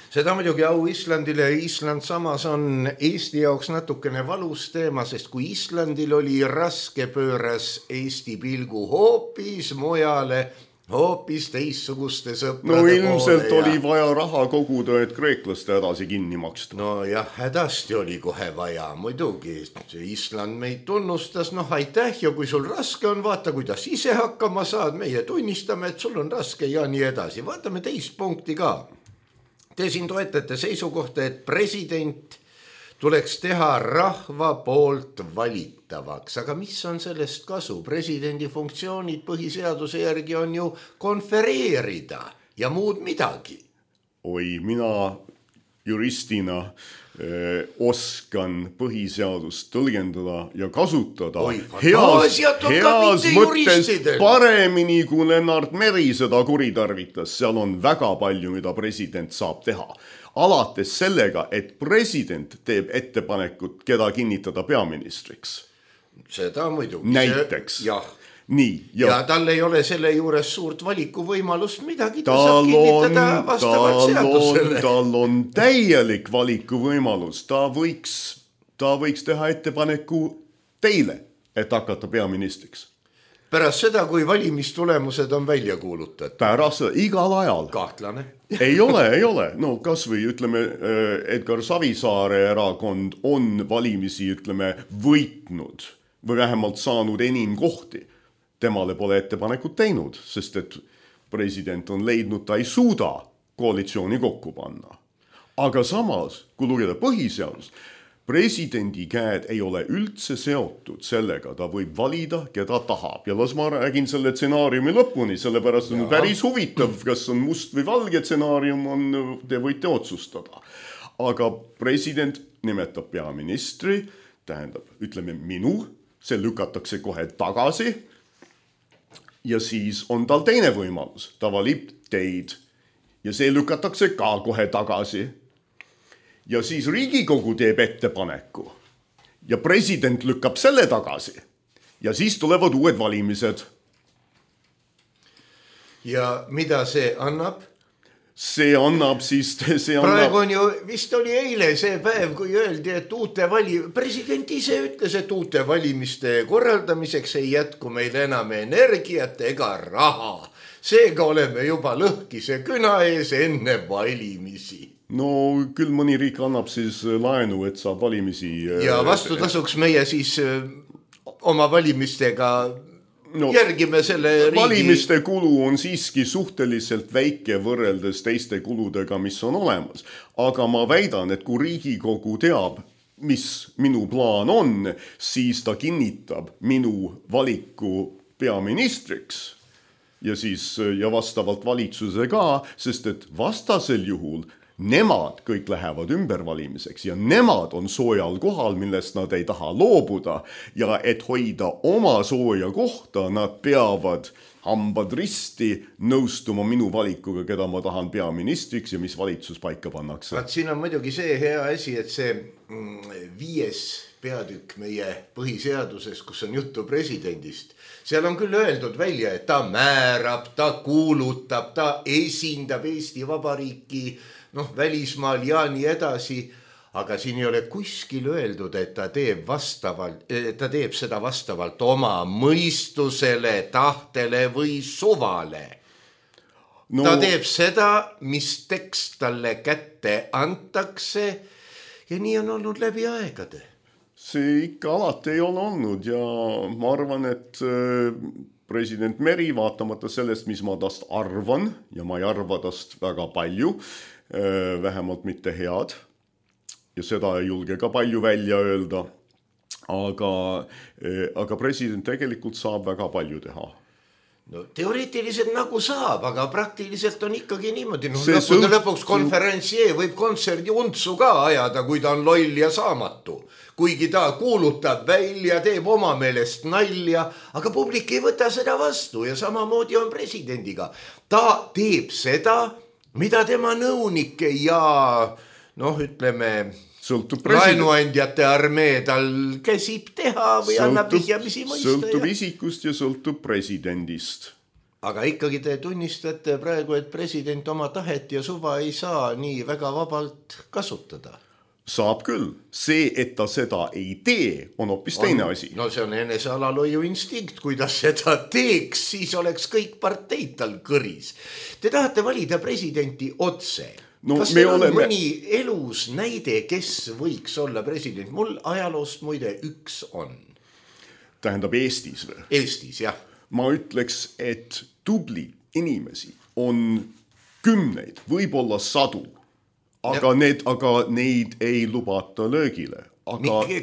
Seda muidugi au Islandile, Island samas on Eesti jaoks natukene valus teema, sest kui Islandil oli raske, pööras Eesti pilgu hoopis mujale, hoopis teissuguste sõprade poole. Ilmselt oli vaja raha koguda, et kreeklaste hädasi kinni maksta. Jah, hädasti oli kohe vaja, muidugi. Island meid tunnustas, aitäh ja kui sul raske on, vaata, kuidas ise hakkama saad, meie tunnistame, et sul on raske ja nii edasi. Vaatame teist punkti ka. Te siin toetate seisukohta, et president tuleks teha rahva poolt valitavaks, aga mis on sellest kasu? Presidendi funktsioonid põhiseaduse järgi on ju konfereerida ja muud midagi. Oi, mina juristina oskan põhiseadust tõlgendada ja kasutada heas mõttes paremini, kui Lennart Meri seda kuritarvitas. Seal on väga palju, mida president saab teha. Alates sellega, et president teeb ettepanekut, keda kinnitada peaministriks. Seda muidugi. Näiteks. Jah. Nii, ja tal ei ole selle juures suurt valikuvõimalust midagi, ta saab kinnitada vastavalt seadusele. Tal on täielik valikuvõimalus, ta võiks teha ettepaneku teile, et hakata peaministriks. Pärast seda, kui valimistulemused on välja kuulutatud. Pärast seda, igal ajal. Kahtlane. ei ole. No kas või ütleme, Edgar Savisaare erakond on valimisi, ütleme, võitnud või vähemalt saanud enim kohti. Temale pole ettepanekut teinud, sest et president on leidnud, ta ei suuda koalitsiooni kokku panna. Aga samas, kui lugeda põhiseadust, presidendi käed ei ole üldse seotud sellega, ta võib valida, keda tahab. Ja las ma räägin selle stsenaariumi lõpuni, sellepärast on päris huvitav, kas on must või valge stsenaarium, te võite otsustada. Aga president nimetab peaministri, tähendab, ütleme minu, see lükatakse kohe tagasi. Ja siis on tal teine võimalus, ta valib teid ja see lükatakse ka kohe tagasi. Ja siis Riigikogu teeb ettepaneku ja president lükkab selle tagasi ja siis tulevad uued valimised. Ja mida see annab? See annab siis... Praegu on ju, vist oli eile see päev, kui öeldi, et president ise ütles, et uute valimiste korraldamiseks ei jätku meil enam energiat ega raha. Seega oleme juba lõhkise küna ees enne valimisi. No küll mõni riik annab siis laenu, et saab valimisi... Ja vastutasuks meie siis oma valimistega... järgime selle riigi... Valimiste kulu on siiski suhteliselt väike võrreldes teiste kuludega, mis on olemas. Aga ma väidan, et kui Riigikogu teab, mis minu plaan on, siis ta kinnitab minu valiku peaministriks ja vastavalt valitsuse ka, sest et vastasel juhul nemad kõik lähevad ümbervalimiseks ja nemad on soojal kohal, millest nad ei taha loobuda ja et hoida oma sooja kohta, nad peavad hambad risti nõustuma minu valikuga, keda ma tahan peaministriks ja mis valitsus paika pannakse. Siin on muidugi see hea asi, et see 5. peatükk meie põhiseaduses, kus on juttu presidendist, seal on küll öeldud välja, et ta määrab, ta kuulutab, ta esindab Eesti Vabariiki välismaal ja nii edasi, aga siin ei ole kuskil öeldud, et ta teeb seda vastavalt oma mõistusele, tahtele või suvale. Ta teeb seda, mis tekst talle kätte antakse ja nii on olnud läbi aegade. See ikka alati ei ole olnud ja ma arvan, et president Meri, vaatamata sellest, mis ma tast arvan ja ma ei arva tast väga palju, vähemalt mitte head ja seda ei julge ka palju välja öelda, aga president tegelikult saab väga palju teha. No, teoreetiliselt nagu saab, aga praktiliselt on ikkagi niimoodi. Lõpuks konferentsier võib kontserdi untsu ka ajada, kui ta on loll ja saamatu. Kuigi ta kuulutab välja, teeb oma meelest nalja, aga publik ei võta seda vastu ja samamoodi on presidendiga. Ta teeb seda, mida tema nõunike ja ütleme... laenuandjate armee tal käsib teha või annab vihjamisi mõista. Sõltub isikust ja sõltub presidendist. Aga ikkagi te tunnistate praegu, et president oma tahet ja suva ei saa nii väga vabalt kasutada. Saab küll. See, et ta seda ei tee, on hoopis teine asi. No see on enese alaloiu instinkt. Kui ta seda teeks, siis oleks kõik parteid tal kõris. Te tahate valida presidenti otse. Kas teil on mõni elus näide, kes võiks olla president? Mul ajaloost muide üks on. Tähendab Eestis või? Eestis, jah. Ma ütleks, et tubli inimesi on 10, võib-olla 100, aga neid ei lubata löögile.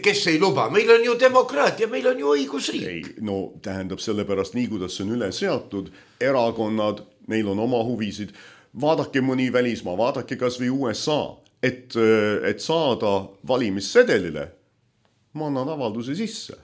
Kes ei luba? Meil on ju demokraatia, meil on ju õigusriik. Ei, no tähendab sellepärast nii, kuidas see on üle seatud, erakonnad, neil on oma huvisid, vaadake mõni välismaa, vaadake kas või USA, et saada valimissedelile, ma annan avalduse sisse.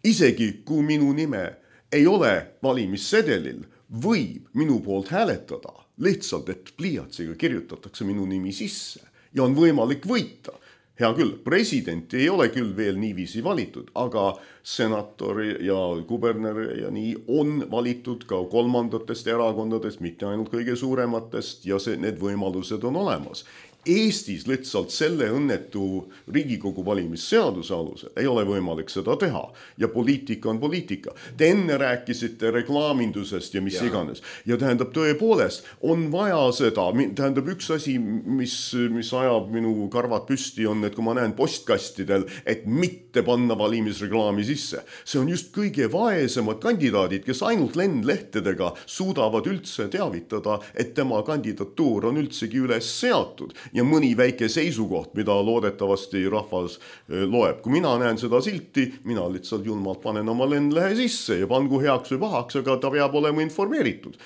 Isegi kui minu nime ei ole valimissedelil, võib minu poolt hääletada, lihtsalt, et pliiatsiga kirjutatakse minu nimi sisse ja on võimalik võita. Hea küll, president ei ole küll veel niiviisi valitud, aga senator ja kuberner ja nii on valitud ka kolmandatest erakondadest, mitte ainult kõige suurematest ja need võimalused on olemas. Eestis lihtsalt selle õnnetu Riigikogu valimisseaduse alusel ei ole võimalik seda teha ja poliitika on poliitika. Te enne rääkisite reklaamindusest ja mis iganes ja tähendab tõepoolest on vaja seda, tähendab üks asi, mis ajab minu karvad püsti on, et kui ma näen postkastidel, et mitte panna valimisreklaami sisse. See on just kõige vaesemad kandidaadid, kes ainult lendlehtedega suudavad üldse teavitada, et tema kandidatuur on üldsegi üles seatud ja mõni väike seisukoht, mida loodetavasti rahvas loeb. Kui mina näen seda silti, mina lihtsalt julmalt panen oma lendlehe sisse ja pangu heaks või pahaks, aga ta peab olema informeeritud.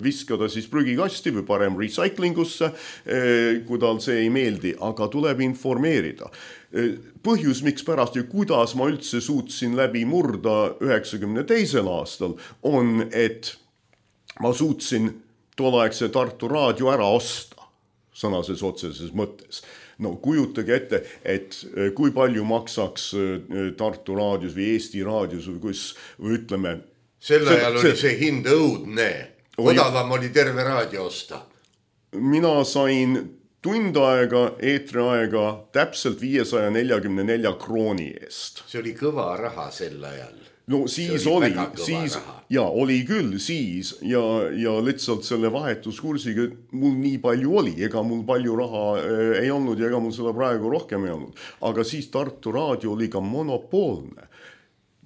Viskada siis prügikasti või parem recyclingusse, kui tal see ei meeldi, aga tuleb informeerida. Põhjus, miks pärast ja kuidas ma üldse suutsin läbi murda 92. aastal, on, et ma suutsin tolleaegse Tartu raadio ära osta. Sõnases otseses mõttes. No kujutage ette, et kui palju maksaks Tartu raadios või Eesti raadios või ütleme... Selle ajal oli see hind õudne. Odavam oli terve raadio osta. Mina sain tund aega, eetriaega täpselt 544 krooni eest. See oli kõva raha sel ajal. No siis oli küll siis ja lihtsalt selle vahetuskursiga mul nii palju oli, ega mul palju raha ei olnud ja ega mul seda praegu rohkem ei olnud. Aga siis Tartu raadio oli ka monopoolne.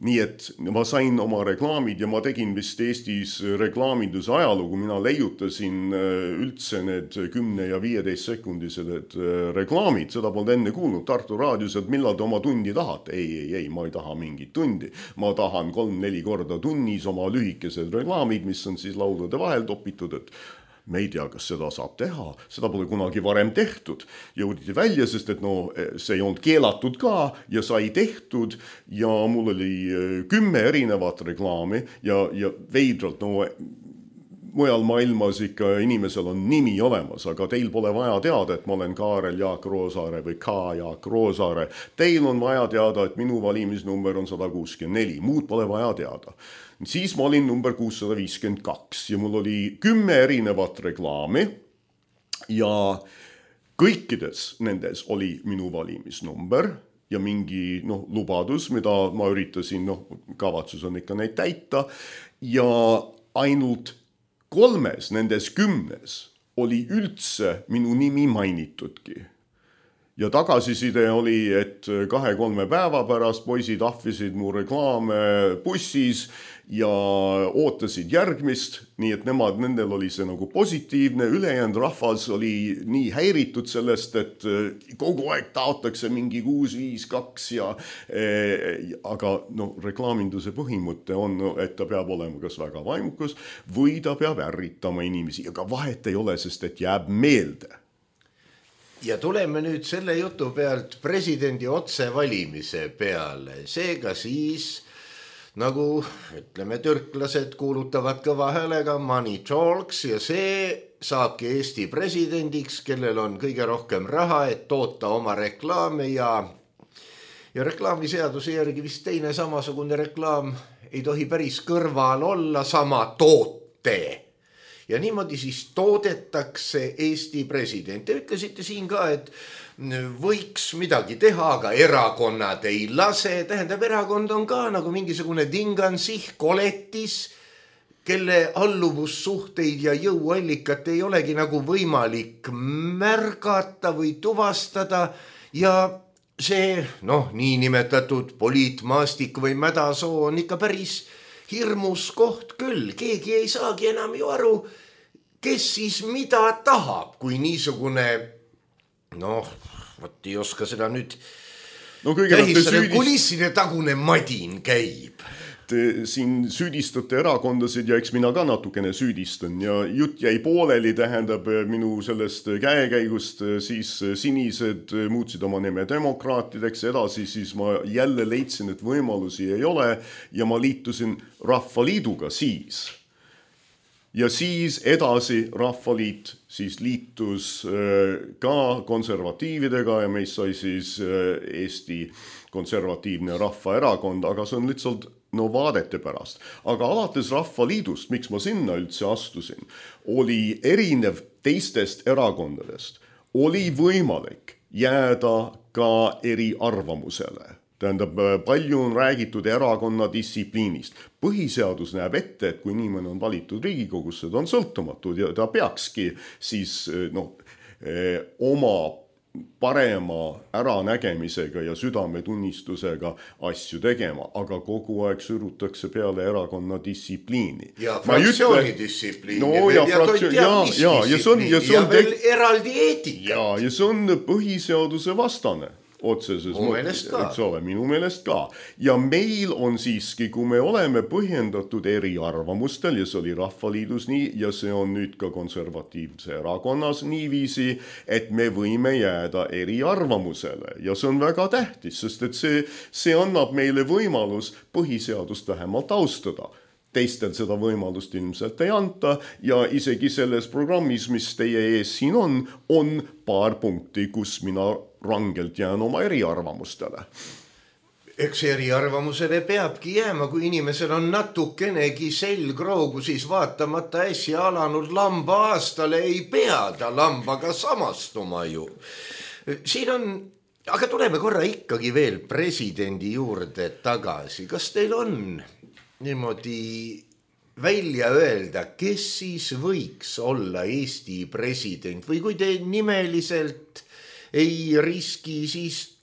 Nii et ma sain oma reklaamid ja ma tegin vist Eestis reklaaminduse ajalugu, mina leiutasin üldse need 10 ja 15 sekundised reklaamid, seda polnud enne kuulnud Tartu raadios, et millal te oma tundi tahate. Ei, ma ei taha mingit tundi, ma tahan 3-4 korda tunnis oma lühikesed reklaamid, mis on siis laulude vahel topitud, et me ei tea, kas seda saab teha, seda pole kunagi varem tehtud. Jõuditi välja, sest et see ei olnud keelatud ka ja sai tehtud ja mul oli 10 erinevat reklaami ja veidralt, mujal maailmas ikka inimesel on nimi olemas, aga teil pole vaja teada, et ma olen Kaarel Jaak Roosaare või K. Jaak Roosaare. Teil on vaja teada, et minu valimisnumber on 164, muud pole vaja teada. Siis ma olin number 652 ja mul oli 10 erinevat reklaami ja kõikides nendes oli minu valimisnumber ja mingi lubadus, mida ma üritasin, kavatsus on ikka neid täita ja ainult 3 nendes 10 oli üldse minu nimi mainitudki. Ja tagasiside oli, et 2-3 päeva pärast poisid ahvisid mu reklaame bussis ja ootasid järgmist, nii et nendel oli see nagu positiivne, ülejäänud rahvas oli nii häiritud sellest, et kogu aeg taotakse mingi 652 aga reklaaminduse põhimõte on, et ta peab olema kas väga vaimukas või ta peab ärritama inimesi, aga vahet ei ole, sest et jääb meelde. Ja tuleme nüüd selle jutu pealt presidendi otsevalimise peale. Seega siis, nagu ütleme, türklased kuulutavad kõva häälega money talks ja see saabki Eesti presidendiks, kellel on kõige rohkem raha, et toota oma reklaame ja reklaamiseaduse järgi vist teine samasugune reklaam ei tohi päris kõrval olla sama toote. Ja niimoodi siis toodetakse Eesti president. Te ütlesite siin ka, et võiks midagi teha, aga erakonnad ei lase. Tähendab, erakond on ka nagu mingisugune dingansih, koletis, kelle alluvussuhteid ja jõuallikat ei olegi nagu võimalik märgata või tuvastada ja see, niinimetatud poliitmaastik või mädasoo on ikka päris hirmus koht küll. Keegi ei saagi enam ju aru, kes siis mida tahab, kui niisugune Noh, võt ei oska seda nüüd kõigepealt kulisside tagune madin käib. Te siin süüdistate erakondasid ja eks mina ka natukene süüdistan ja jutt jäi pooleli, tähendab minu sellest käekäigust, siis sinised muutsid oma nime demokraatideks, edasi siis ma jälle leidsin, et võimalusi ei ole ja ma liitusin Rahvaliiduga siis. Ja siis edasi Rahvaliit siis liitus ka konservatiividega ja meist sai siis Eesti konservatiivne rahvaerakond, aga see on lihtsalt vaadete pärast. Aga alates Rahvaliidust, miks ma sinna üldse astusin, oli erinev teistest erakondadest. Oli võimalik jääda ka eriarvamusele. Tähendab, palju on räägitud erakonna distsipliinist. Põhiseadus näeb ette, et kui inimene on valitud Riigikogusse, ta on sõltumatud ja ta peakski siis oma parema äranägemisega ja südametunnistusega asju tegema, aga kogu aeg surutakse peale erakonna distsipliini. Ja fraktsiooni distsipliini. Ja veel eraldi eetika. Ja see on põhiseaduse vastane. Otseses mõttes, minu meelest ka. Ja meil on siiski, kui me oleme põhjendatud eriarvamustel ja see oli Rahvaliidus nii ja see on nüüd ka konservatiivse erakonnas niiviisi, et me võime jääda eriarvamusele ja see on väga tähtis, sest et see annab meile võimalus põhiseadust vähemalt austada. Teistel seda võimalust ilmselt ei anta ja isegi selles programmis, mis teie ees siin on paar punkti, kus mina rangelt jään oma eriarvamustele. Eks eriarvamusele peabki jääma, kui inimesel on natukenegi selgroogu, siis vaatamata äsja alanud lamba aastale ei pea ta lambaga samastuma ju. Siin on, aga tuleme korra ikkagi veel presidendi juurde tagasi. Kas teil on niimoodi välja öelda, kes siis võiks olla Eesti president või kui te nimeliselt ei riski, siis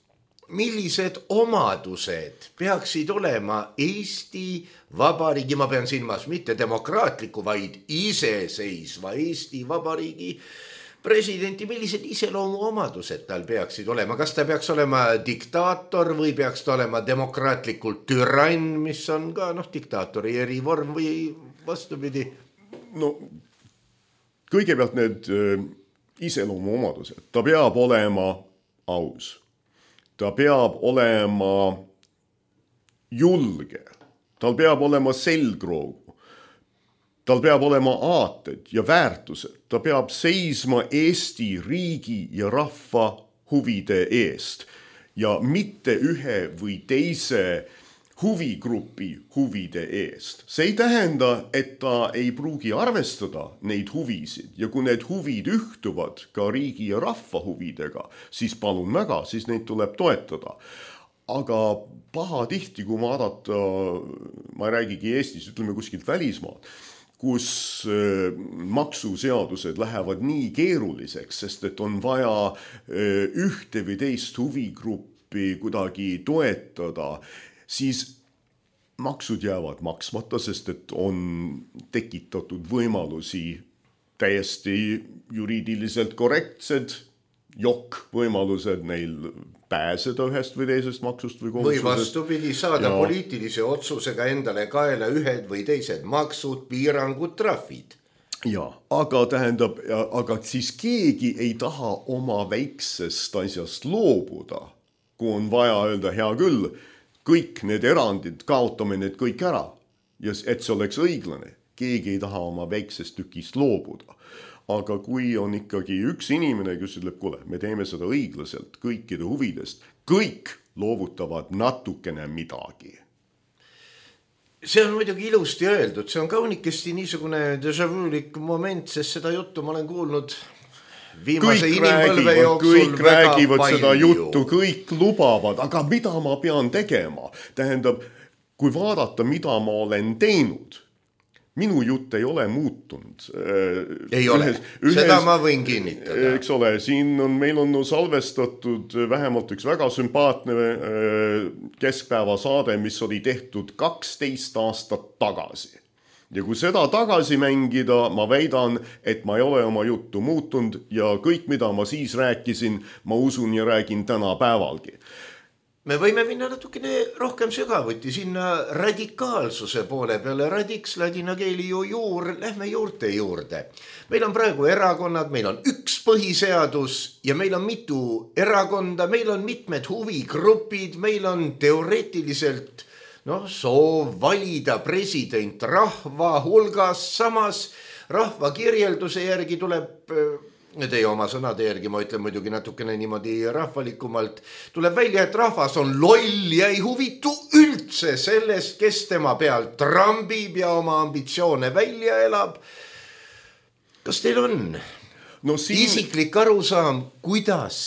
millised omadused peaksid olema Eesti Vabariigi, ma pean silmas mitte demokraatliku, vaid iseseisva Eesti Vabariigi presidenti, millised iseloomuomadused tal peaksid olema, kas ta peaks olema diktaator või peaks ta olema demokraatlikult türann, mis on ka diktaatori erivorm või vastupidi? Kõigepealt need iseloomuomadused, ta peab olema aus, ta peab olema julge, tal peab olema selgroogu, tal peab olema aated ja väärtused, ta peab seisma Eesti riigi ja rahva huvide eest ja mitte ühe või teise huvigrupi huvide eest. See ei tähenda, et ta ei pruugi arvestada neid huvisid ja kui need huvid ühtuvad ka riigi ja rahva huvidega, siis palun väga, siis neid tuleb toetada. Aga pahatihti, kui vaadata, ma ei räägigi Eestis, ütleme kuskilt välismaad, kus maksuseadused lähevad nii keeruliseks, sest et on vaja ühte või teist huvigruppi kuidagi toetada, siis maksud jäävad maksmata, sest et on tekitatud võimalusi täiesti juriidiliselt korrektsed võimalused neil pääseda ühest või teisest maksust või kohustusest. Või vastupidi, saada poliitilise otsusega endale kaela ühed või teised maksud, piirangud, trahvid. Ja, aga siis keegi ei taha oma väiksest asjast loobuda, kui on vaja öelda, hea küll, kõik need erandid, kaotame need kõik ära, ja et see oleks õiglane. Keegi ei taha oma väiksest tükist loobuda. Aga kui on ikkagi üks inimene, kes ütleb, kuule, me teeme seda õiglaselt kõikide huvidest, kõik loovutavad natukene midagi. See on muidugi ilusti öeldud, see on kaunikesti niisugune déjà-vulik moment, sest seda juttu ma olen kuulnud viimase inimpõlve jooksul kõik räägivad seda juttu, kõik lubavad, aga mida ma pean tegema? Tähendab, kui vaadata, mida ma olen teinud, minu jutt ei ole muutunud. Ei ole, seda ma võin kinnitada. Eks ole, meil on salvestatud vähemalt üks väga sümpaatne keskpäeva saade, mis oli tehtud 12 aastat tagasi. ja kui seda tagasi mängida, ma väidan, et ma ei ole oma juttu muutunud ja kõik, mida ma siis rääkisin, ma usun ja räägin tänapäevalgi. Me võime minna natukene rohkem sügavuti sinna radikaalsuse poole peale. Radiks ladina keeli ju juur, lähme juurte juurde. Meil on praegu erakonnad, meil on üks põhiseadus ja meil on mitu erakonda, meil on mitmed huvigrupid, meil on teoreetiliselt soov valida president rahva hulgas, samas rahva kirjelduse järgi tuleb... Teie oma sõnade järgi, ma ütlen muidugi natukene niimoodi rahvalikumalt, tuleb välja, et rahvas on loll ja ei huvitu üldse sellest, kes tema peal trambib ja oma ambitsioone välja elab. Kas teil on isiklik arusaam, kuidas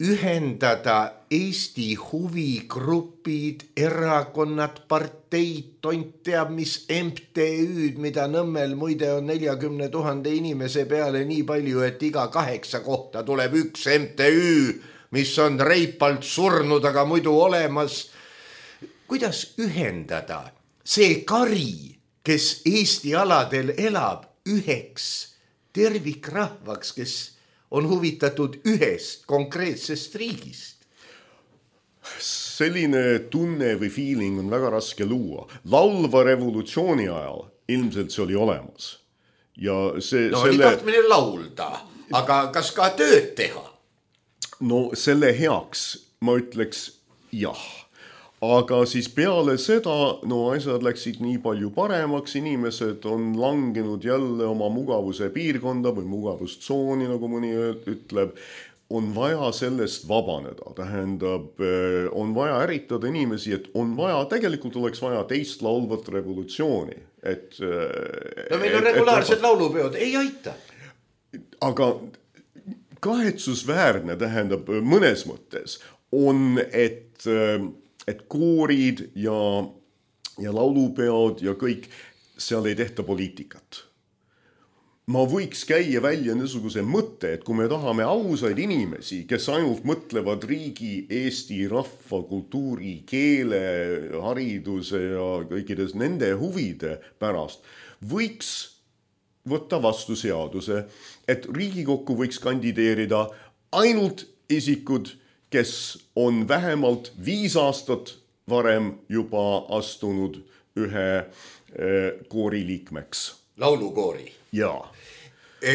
ühendada Eesti huvigrupid, erakonnad, parteid, tont teab mis MTÜ'd, mida Nõmmel muide on 40 000 inimese peale nii palju, et iga 8 kohta tuleb üks MTÜ, mis on reipalt surnud, aga muidu olemas. Kuidas ühendada see kari, kes Eesti aladel elab, üheks tervikrahvaks, kes on huvitatud ühest konkreetsest riigist? Selline tunne või feeling on väga raske luua. Laulva revolutsiooni ajal ilmselt see oli olemas. Ja oli tahtmine laulda, aga kas ka tööd teha? Selle heaks ma ütleks jah. Aga siis peale seda, asjad läksid nii palju paremaks, inimesed on langenud jälle oma mugavuse piirkonda või mugavustsooni, nagu mõni ütleb, on vaja sellest vabaneda. Tähendab, on vaja äritada inimesi, et on vaja, tegelikult oleks vaja teist laulvat revolutsiooni. Meil on regulaarsed laulupeod, ei aita. Aga kahetsusväärne, tähendab, mõnes mõttes on, et koorid ja laulupeod ja kõik, seal ei tehta poliitikat. Ma võiks käia välja niisuguse mõtte, et kui me tahame ausaid inimesi, kes ainult mõtlevad riigi, Eesti, rahva, kultuuri, keele, hariduse ja kõikides nende huvide pärast, võiks võtta vastu seaduse, et Riigikokku võiks kandideerida ainult isikud, kes on vähemalt 5 aastat varem juba astunud ühe koori liikmeks. Laulukoori? Jaa.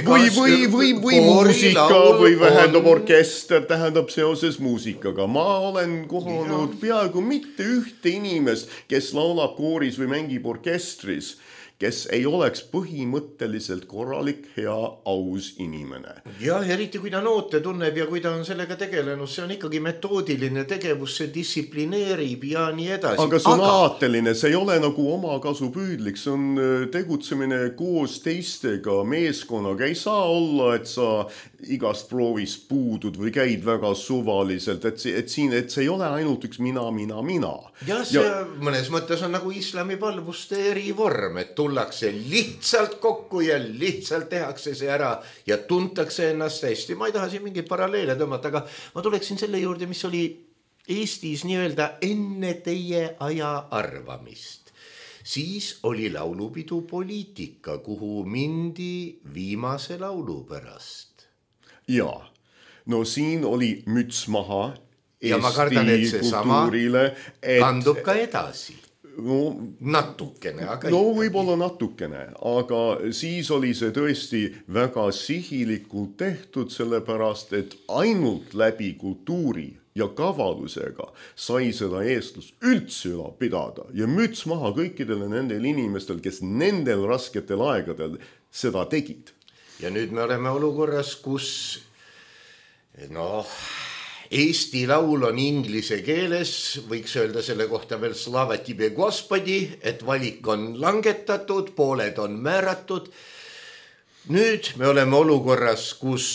Või muusika või vähendab orkester, tähendab seoses muusikaga. Ma olen kohanud peaaegu mitte ühte inimest, kes laulab kooris või mängib orkestris, kes ei oleks põhimõtteliselt korralik, hea, aus inimene. Jah, eriti kui ta noote tunneb ja kui ta on sellega tegelenud, see on ikkagi metoodiline tegevus, see distsiplineerib ja nii edasi. Aga see on aateline, see ei ole nagu omakasupüüdlik, see on tegutsemine koos teistega, meeskonnaga. Ei saa olla, et sa igast proovist puudud või käid väga suvaliselt, et see ei ole ainult üks mina. Jah, see mõnes mõttes on nagu islami palvuste erivorm, et tullakse lihtsalt kokku ja lihtsalt tehakse see ära ja tuntakse ennast hästi. Ma ei taha siin mingit paralleele tõmmata, aga ma tuleksin selle juurde, mis oli Eestis nii-öelda enne teie aja arvamist. Siis oli laulupidu poliitika, kuhu mindi viimase laulu pärast. Jaa, siin oli müts maha Eesti ja ma kardan, et see kultuurile. Kandub ka edasi. Natukene, aga võib-olla natukene, aga siis oli see tõesti väga sihilikult tehtud, sellepärast, et ainult läbi kultuuri ja kavalusega sai seda eestlust üldse pidada ja müts maha kõikidele nendel inimestel, kes nendel rasketel aegadel seda tegid. Ja nüüd me oleme olukorras, kus Eesti laul on inglise keeles, võiks öelda selle kohta veel slava тебе Господи, et valik on langetatud, pooled on määratud. Nüüd me oleme olukorras, kus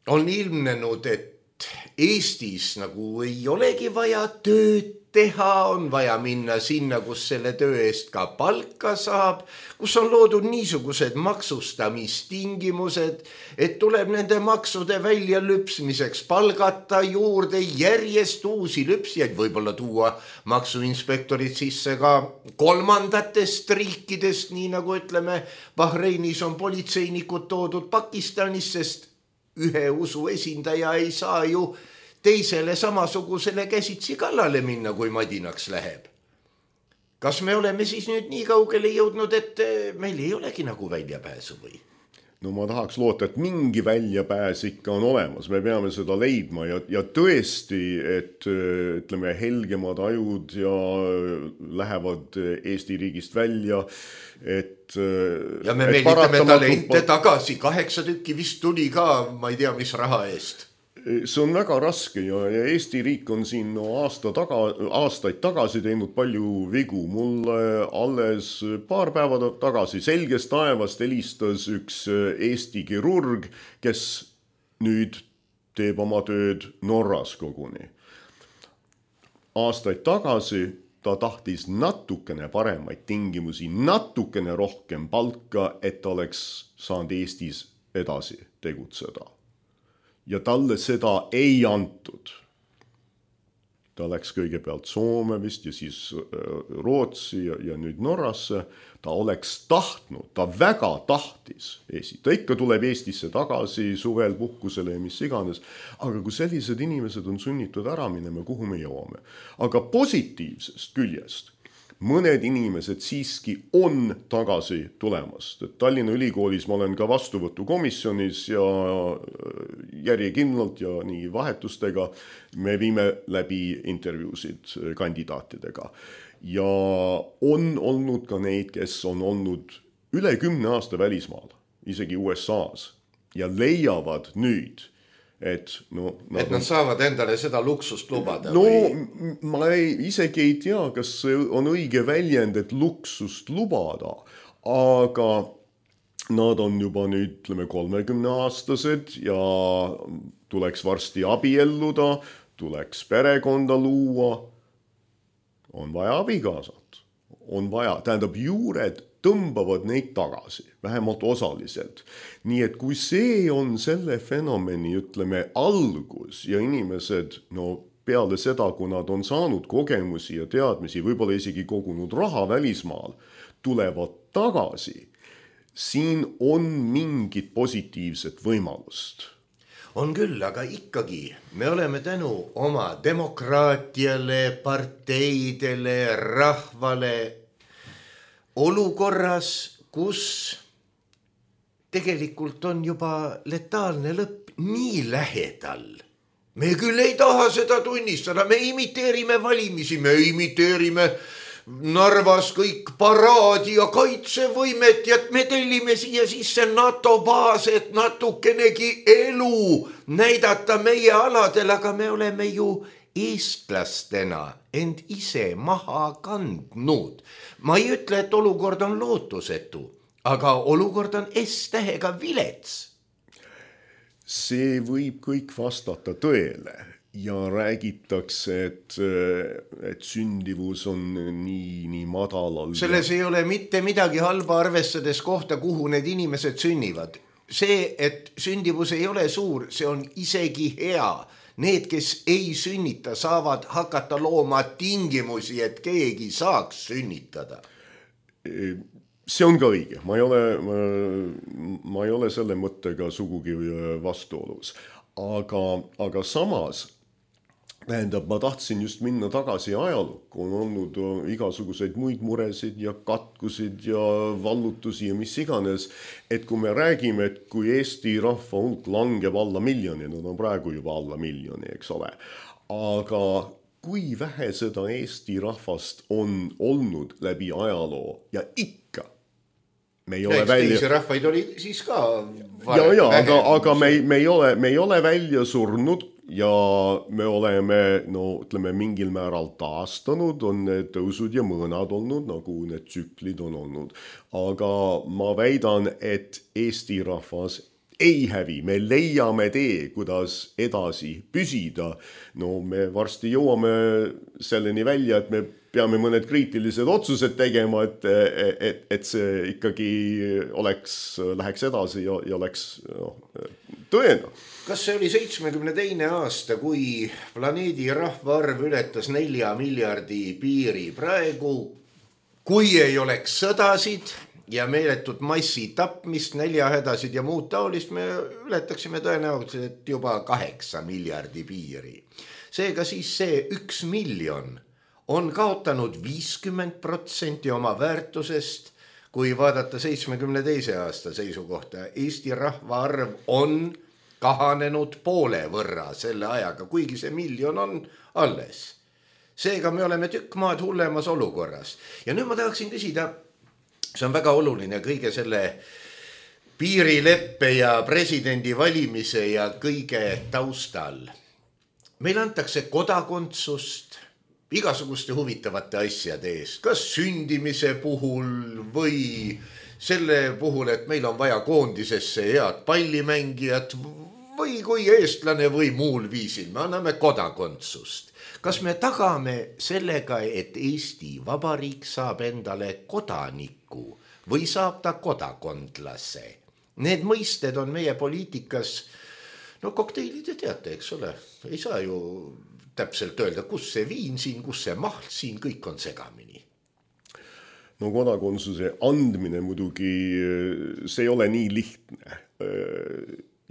on ilmnenud, et Eestis nagu ei olegi vaja tööd teha, on vaja minna sinna, kus selle töö eest ka palka saab, kus on loodud niisugused maksustamistingimused, et tuleb nende maksude välja lüpsmiseks palgata juurde järjest uusi lüpsjaid, võib-olla tuua maksuinspektorid sisse ka kolmandatest riikidest, nii nagu ütleme, Bahreinis on politseinikud toodud Pakistanist, sest ühe usu esindaja ei saa ju teisele samasugusele käsitsi kallale minna, kui madinaks läheb. Kas me oleme siis nüüd nii kaugele jõudnud, et meil ei olegi nagu väljapääsu või? No ma tahaks loota, et mingi väljapääs ikka on olemas, me peame seda leidma ja tõesti, et ütleme, helgemad ajud ja lähevad Eesti riigist välja, et ja me meelitame talente tagasi, 8 tükki vist tuli ka, ma ei tea, mis raha eest. See on väga raske ja Eesti riik on siin aastaid tagasi teinud palju vigu. Mulle alles paar päeva tagasi selgest taevast helistas üks Eesti kirurg, kes nüüd teeb oma tööd Norras koguni. Aastaid tagasi ta tahtis natukene paremaid tingimusi, natukene rohkem palka, et ta oleks saanud Eestis edasi tegutseda. Ja talle seda ei antud. Ta läks kõigepealt Soome vist ja siis Rootsi ja nüüd Norrasse. Ta oleks tahtnud, ta väga tahtis Eesti. Ta ikka tuleb Eestisse tagasi suvel puhkusele ja mis iganes. Aga kui sellised inimesed on sunnitud ära minema, kuhu me jõuame. Aga positiivsest küljest mõned inimesed siiski on tagasi tulemas. Tallinna Ülikoolis ma olen ka vastuvõtukomisjonis ja järjekindlalt ja nii vahetustega me viime läbi intervjuusid kandidaatidega. Ja on olnud ka neid, kes on olnud üle 10 aasta välismaal, isegi USA's ja leiavad nüüd, et nad saavad endale seda luksust lubada. No ma isegi ei tea, kas see on õige väljend, et luksust lubada, aga nad on juba nüüd 30-aastased ja tuleks varsti abielluda, tuleks perekonda luua, on vaja abikaasat, on vaja, tähendab juured tõmbavad neid tagasi, vähemalt osaliselt. Nii et kui see on selle fenomeni, ütleme, algus ja inimesed, peale seda, kui nad on saanud kogemusi ja teadmisi, võib-olla isegi kogunud raha välismaal, tulevad tagasi, siin on mingit positiivset võimalust. On küll, aga ikkagi me oleme tänu oma demokraatiale, parteidele, rahvale olukorras, kus tegelikult on juba letaalne lõpp nii lähedal. Me küll ei taha seda tunnistada, me imiteerime valimisi, me imiteerime Narvas kõik paraadi ja kaitsevõimet ja me tellime siia sisse NATO baas, et natukenegi elu näidata meie aladel, aga me oleme ju eestlastena end ise maha kandnud. Ma ei ütle, et olukord on lootusetu, aga olukord on S-tähega vilets. See võib kõik vastata tõele ja räägitakse, et sündivus on nii madalal. Selles ei ole mitte midagi halba arvestades kohta, kuhu need inimesed sünnivad. See, et sündivus ei ole suur, see on isegi hea. Need, kes ei sünnita, saavad hakata looma tingimusi, et keegi saaks sünnitada. See on ka õige. Ma ei ole selle mõttega sugugi vastuolus. Aga samas, tähendab, ma tahtsin just minna tagasi ajalukku. On olnud igasuguseid muid muresid ja katkusid ja vallutusi ja mis iganes. Et kui me räägime, et kui Eesti rahva hulk langeb alla miljoni, nad on praegu juba alla miljoni, eks ole. Aga kui vähe seda Eesti rahvast on olnud läbi ajaloo ja ikka me ei ole välja... Teisi rahvaid oli siis ka aga me ei ole välja surnud ja me oleme, ütleme, mingil määral taastanud, on need tõusud ja mõõnad olnud, nagu need tsüklid on olnud. Aga ma väidan, et Eesti rahvas ei hävi, me leiame tee, kuidas edasi püsida. No me varsti jõuame selleni välja, et me peame mõned kriitilised otsused tegema, et see ikkagi läheks edasi ja oleks tõena. Kas see oli 72. aasta, kui planeedi rahvaarv ületas 4 miljardi piiri? Praegu, kui ei oleks sõdasid ja meeletut massi tapmist, näljahädasid ja muud taolist, me ületaksime tõenäoliselt juba 8 miljardi piiri. Seega siis see 1 miljon on kaotanud 50% oma väärtusest, kui vaadata 72. aasta seisukohta. Eesti rahvaarv on kahanenud poole võrra selle ajaga, kuigi see miljon on alles. Seega me oleme tükk maad hullemas olukorras. Ja nüüd ma tahaksin küsida, see on väga oluline kõige selle piirileppe ja presidendi valimise ja kõige taustal. Meil antakse kodakondsust igasuguste huvitavate asjade eest, kas sündimise puhul või selle puhul, et meil on vaja koondisesse head pallimängijat või kui eestlane või muul viisil, me anname kodakondsust. Kas me tagame sellega, et Eesti Vabariik saab endale kodaniku või saab ta kodakondlase? Need mõisted on meie poliitikas, kokteilid te teate, eks ole, ei saa ju täpselt öelda, kus see viin siin, kus see mahl siin, kõik on segamini. No kodakonsuse andmine muidugi, see ei ole nii lihtne.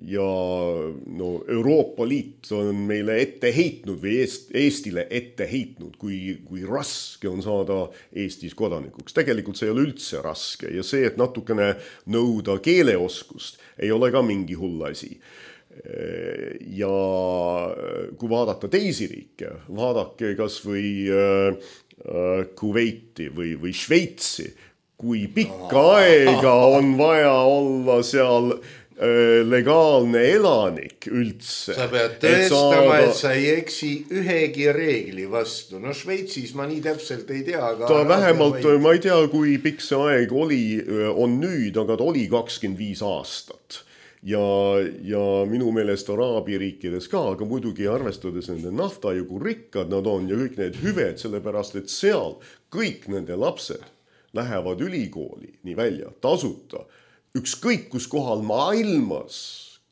Ja Euroopa Liit on meile ette heitnud või Eestile ette heitnud, kui raske on saada Eestis kodanikuks. Tegelikult see ei ole üldse raske ja see, et natukene nõuda keeleoskust, ei ole ka mingi hull asi. Ja kui vaadata teisi riike, vaadake kas või Kuveiti või Šveitsi, kui pikka aega on vaja olla seal legaalne elanik üldse. Sa pead tõestama, et sa ei eksi ühegi reegli vastu. Šveitsis ma nii täpselt ei tea. Ta vähemalt, ma ei tea, kui pikk see aeg on nüüd, aga ta oli 25 aastat. Ja minu meelest Araabia riikides ka, aga muidugi arvestades nende nafta ja kui rikkad nad on ja kõik need hüved, sellepärast et seal kõik nende lapsed lähevad ülikooli nii välja tasuta. Ükskõik kus kohal maailmas,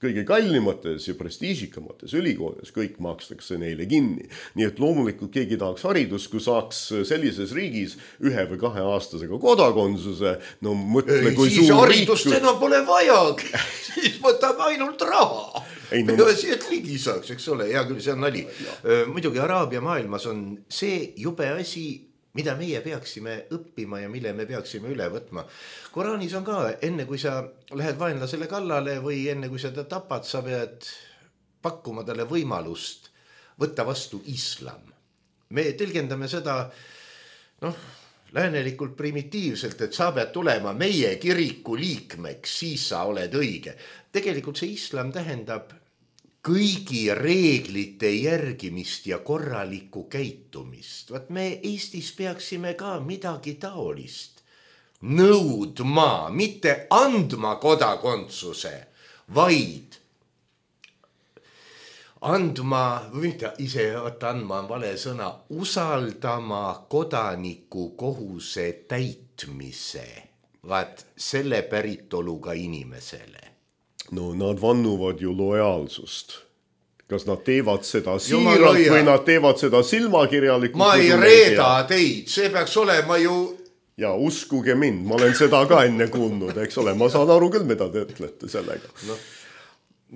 kõige kallimates ja prestiižikamates ülikoolides, kõik makstakse neile kinni. Nii et loomulikult keegi tahaks haridust, kui saaks sellises riigis 1 või 2 aastasega kodakonsuse, mõtle kui siis suur haridust riik... enam pole vajagi, siis võtame ainult raha. Peaasi, et ligi saaks, eks ole, hea küll, see on nali. Muidugi Araabia maailmas on see jube asi, mida meie peaksime õppima ja mille me peaksime üle võtma. Koraanis on ka, enne kui sa lähed vaenlasele kallale või enne kui sa ta tapad, sa pead pakkuma talle võimalust võtta vastu islam. Me tõlgendame seda läänelikult primitiivselt, et sa pead tulema meie kiriku liikmeks, siis sa oled õige. Tegelikult see islam tähendab kõigi reeglite järgimist ja korralikku käitumist. Vaat me Eestis peaksime ka midagi taolist nõudma, mitte andma kodakondsuse, vaid andma, andma on vale sõna, usaldama kodaniku kohuse täitmise, vaat selle päritoluga inimesele. Nad vannuvad ju lojaalsust. Kas nad teevad seda siiralt või nad teevad seda silmakirjalikult? Ma ei reeda teid, see peaks olema ju... Ja uskuge mind, ma olen seda ka enne kuulnud, eks ole, ma saan aru küll, mida te ütlete sellega.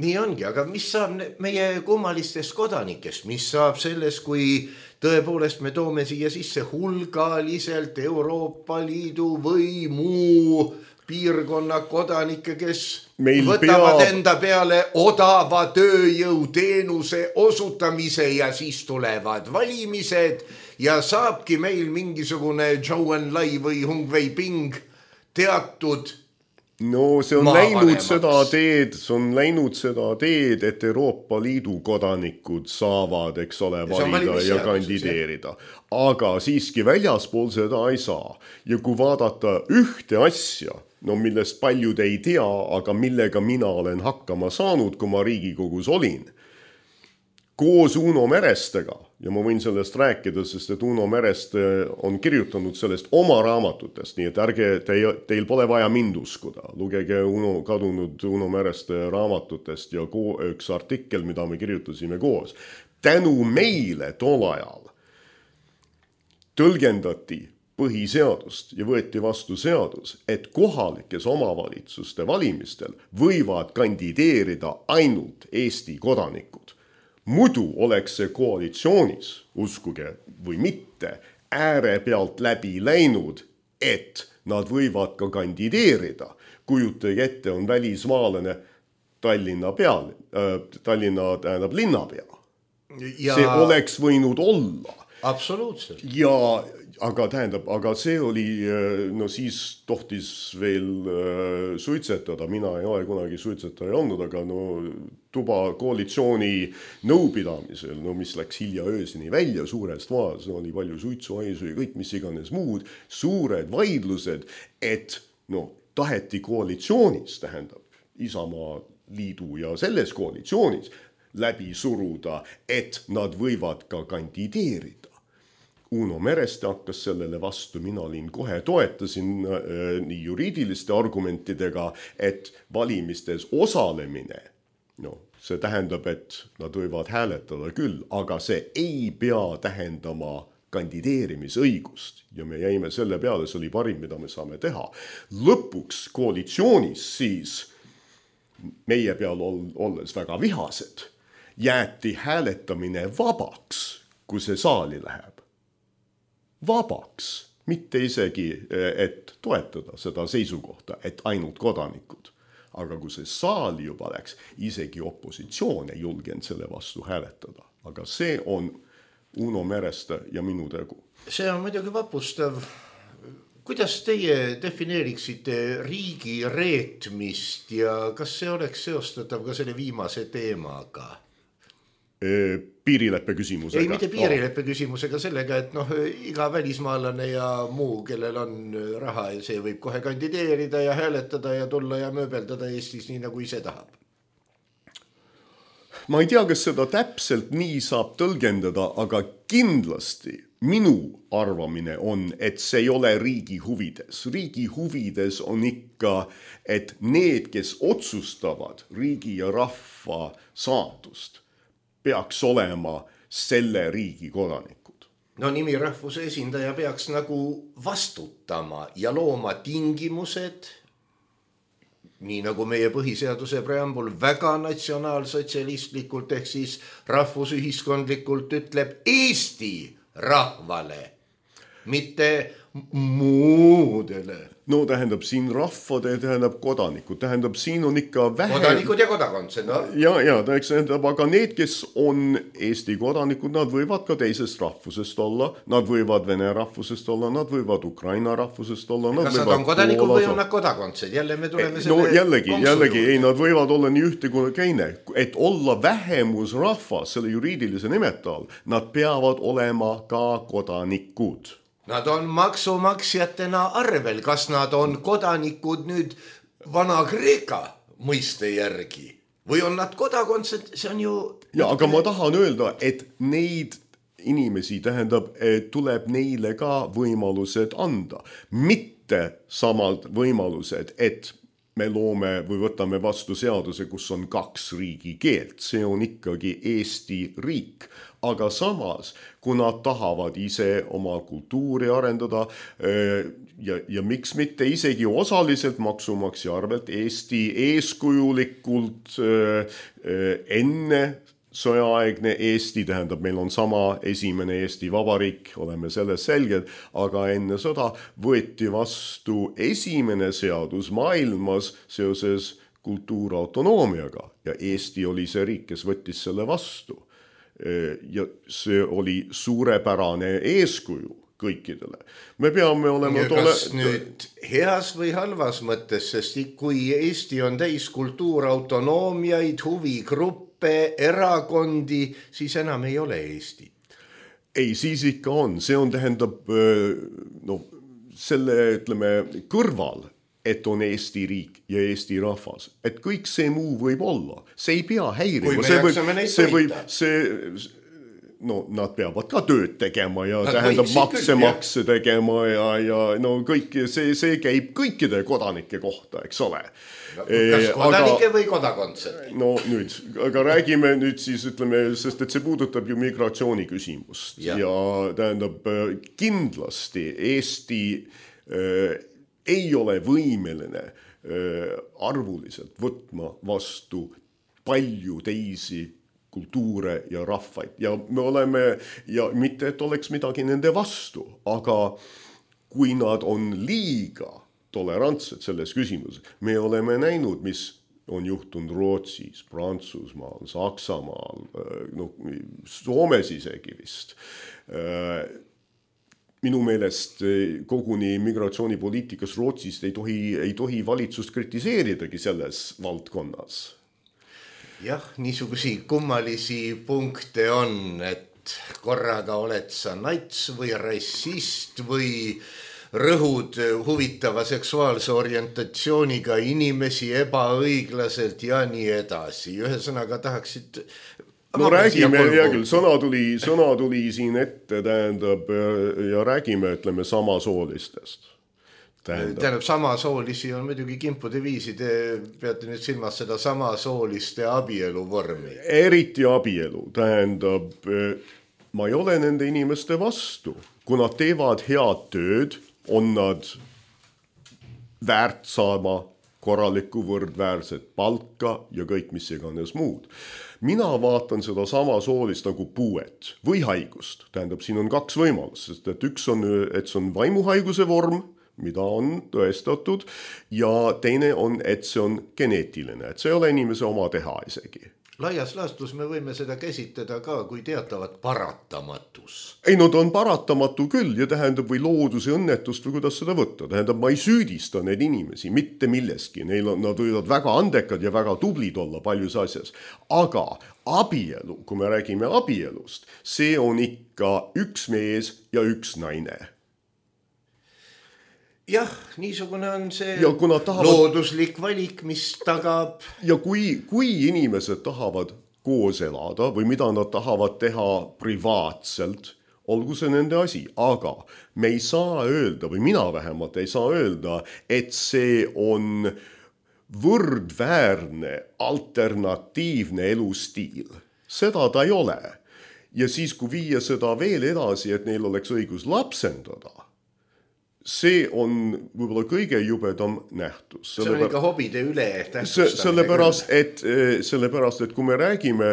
Nii ongi, aga mis saab meie kummalistest kodanikest, mis saab sellest, kui tõepoolest me toome siia sisse hulgaliselt Euroopa Liidu või muu piirkonna kodanikke, kes võtavad enda peale odava tööjõuteenuse osutamise ja siis tulevad valimised ja saabki meil mingisugune Zhou Enlai või Hung Wei Ping teatud see on läinud seda teed, et Euroopa Liidu kodanikud saavad, eks ole, valida ja kandideerida. Aga siiski väljaspool seda ei saa. Ja kui vaadata ühte asja, no millest paljud ei tea, aga millega mina olen hakkama saanud, kui ma Riigikogus olin. Koos Uno Merestega, ja ma võin sellest rääkida, sest et Uno Mereste on kirjutanud sellest oma raamatutest, nii et ärge, teil pole vaja mind uskuda. Lugege kadunud Uno Mereste raamatutest ja üks artikkel, mida me kirjutasime koos. Tänu meile tol ajal tõlgendati põhiseadust ja võeti vastu seadus, et kohalikes omavalitsuste valimistel võivad kandideerida ainult Eesti kodanikud. Muidu oleks see koalitsioonis, uskuge või mitte, ääre pealt läbi läinud, et nad võivad ka kandideerida. Kujutage ette, on välismaalane Tallinna tähendab linnapea. See oleks võinud olla. Absoluutselt. Aga see oli, no siis tohtis veel suitsetada, mina ei ole kunagi suitsetaja olnud, aga no tuba koalitsiooni nõupidamisel, no mis läks hilja öösini välja suurest vaas, oli palju suitsuaisu ja kõik mis iganes muud, suured vaidlused, et no taheti koalitsioonis, tähendab Isamaa liidu ja selles koalitsioonis läbi suruda, et nad võivad ka kandideerida. Uno Mereste hakkas sellele vastu, mina kohe toetasin nii juriidiliste argumentidega, et valimistes osalemine, no see tähendab, et nad võivad hääletada küll, aga see ei pea tähendama kandideerimisõigust ja me jäime selle peale, see oli parim, mida me saame teha. Lõpuks koalitsioonis siis meie peal olles väga vihased, jäeti hääletamine vabaks, kui see saali läheb. Vabaks, mitte isegi, et toetada seda seisukohta, et ainult kodanikud. Aga kui see saali juba läks, isegi opositsioon ei julgenud selle vastu hääletada. Aga see on Uno Mereste ja minu tegu. See on muidugi vapustav. Kuidas teie defineeriksite riigi reetmist ja kas see oleks seostatav ka selle viimase teemaga? Piirileppe küsimusega. Ei, mitte piirileppe küsimusega, sellega, et iga välismaalane ja muu, kellel on raha ja see võib kohe kandideerida ja hääletada ja tulla ja mööbeldada Eestis nii, nagu ise tahab. Ma ei tea, kas seda täpselt nii saab tõlgendada, aga kindlasti minu arvamine on, et see ei ole riigi huvides. Riigi huvides on ikka, et need, kes otsustavad riigi ja rahva saatust, peaks olema selle riigi kodanikud. No nimi rahvuse esindaja peaks nagu vastutama ja looma tingimused, nii nagu meie põhiseaduse preambul väga natsionaalsotsialistlikult ehk siis rahvusühiskondlikult ütleb Eesti rahvale, mitte muudele. No tähendab siin rahvade, tähendab kodanikud, tähendab siin on ikka vähe... Kodanikud ja kodakondsed, no? Ja, tähendab, aga need, kes on Eesti kodanikud, nad võivad ka teisest rahvusest olla, nad võivad vene rahvusest olla, nad võivad Ukraina rahvusest olla. Kas nad on kodanikud või on nad kodakondsed? Jälle me tuleme selle... No jällegi, ei, nad võivad olla nii ühte kui teine. Et olla vähemusrahvas selle juriidilise nimeta all, nad peavad olema ka kodanikud. Nad on maksumaksjatena arvel, kas nad on kodanikud nüüd Vana-Kreeka mõiste järgi või on nad kodakondsed, see on ju... Ja, aga ma tahan öelda, et neid inimesi tähendab, tuleb neile ka võimalused anda. Mitte samad võimalused, et me loome või võtame vastu seaduse, kus on 2 riigikeelt. See on ikkagi Eesti riik. Aga samas, kui nad tahavad ise oma kultuuri arendada ja miks mitte isegi osaliselt maksumaksja arvelt Eesti eeskujulikult enne sõjaaegne Eesti, tähendab, meil on sama esimene Eesti Vabariik, oleme selles selged, aga enne sõda võeti vastu esimene seadus maailmas seoses kultuurautonoomiaga ja Eesti oli see riik, kes võttis selle vastu. Ja see oli suurepärane eeskuju kõikidele. Me peame olema... Kas nüüd heas või halvas mõttes, sest kui Eesti on täis kultuurautonoomiaid, huvigruppe, erakondi, siis enam ei ole Eesti. Ei, siis ikka on. See on tähendab selle, ütleme, kõrval et on Eesti riik ja Eesti rahvas, et kõik see muu võib olla, see ei pea häirima, no nad peavad ka tööd tegema ja tähendab makse tegema ja no kõik see käib kõikide kodanike kohta, eks ole. Kas kodanike või kodakondsed? No nüüd, aga räägime nüüd siis, ütleme, sest et see puudutab ju migratsiooni küsimust ja tähendab kindlasti Eesti ei ole võimeline arvuliselt võtma vastu palju teisi kultuure ja rahvaid ja me oleme, ja mitte et oleks midagi nende vastu, aga kui nad on liiga tolerantsed selles küsimuses, me oleme näinud, mis on juhtunud Rootsis, Prantsusmaal, Saksamaal, no, Soomes isegi vist. Minu meelest koguni migratsioonipoliitikas Rootsist ei tohi valitsust kritiseeridagi selles valdkonnas. Jah, niisugusi kummalisi punkte on, et korraga oled sa nats või rassist või rõhud huvitava seksuaalse orientatsiooniga inimesi ebaõiglaselt ja nii edasi. Ühesõnaga tahaksid... No räägime, hea küll, sõna tuli siin ette, tähendab, ja räägime, ütleme, samasoolistest. Tähendab, samasoolisi on muidugi kimpude viisi, te peate nüüd silmas seda samasooliste abielu vormi. Eriti abielu, tähendab, ma ei ole nende inimeste vastu. Kui nad teevad head tööd, on nad väärt saama korralikku võrdväärset palka ja kõik mis iganes muud. Mina vaatan seda samasoolist nagu puuet või haigust. Tähendab, siin on kaks võimalust, sest et üks on, et see on vaimuhaiguse vorm, mida on tõestatud, ja teine on, et see on geneetiline, et see ei ole inimese oma teha isegi. Laias laastus me võime seda käsitleda ka kui teatavat paratamatus. Ei, no ta on paratamatu küll ja tähendab või looduse õnnetust või kuidas seda võtta. Tähendab, ma ei süüdista neid inimesi mitte milleski. Nad võivad väga andekad ja väga tublid olla paljus asjas. Aga abielu, kui me räägime abielust, see on ikka üks mees ja üks naine. Jah, niisugune on see looduslik valik, mis tagab... Ja kui inimesed tahavad koos elada või mida nad tahavad teha privaatselt, olgu see nende asi, aga me ei saa öelda, või mina vähemalt ei saa öelda, et see on võrdväärne alternatiivne elustiil. Seda ta ei ole. Ja siis, kui viia seda veel edasi, et neil oleks õigus lapsendada, see on võib-olla kõige jubedam nähtus. See on ikka hobide üle tähtsustamine. Sellepärast, et kui me räägime,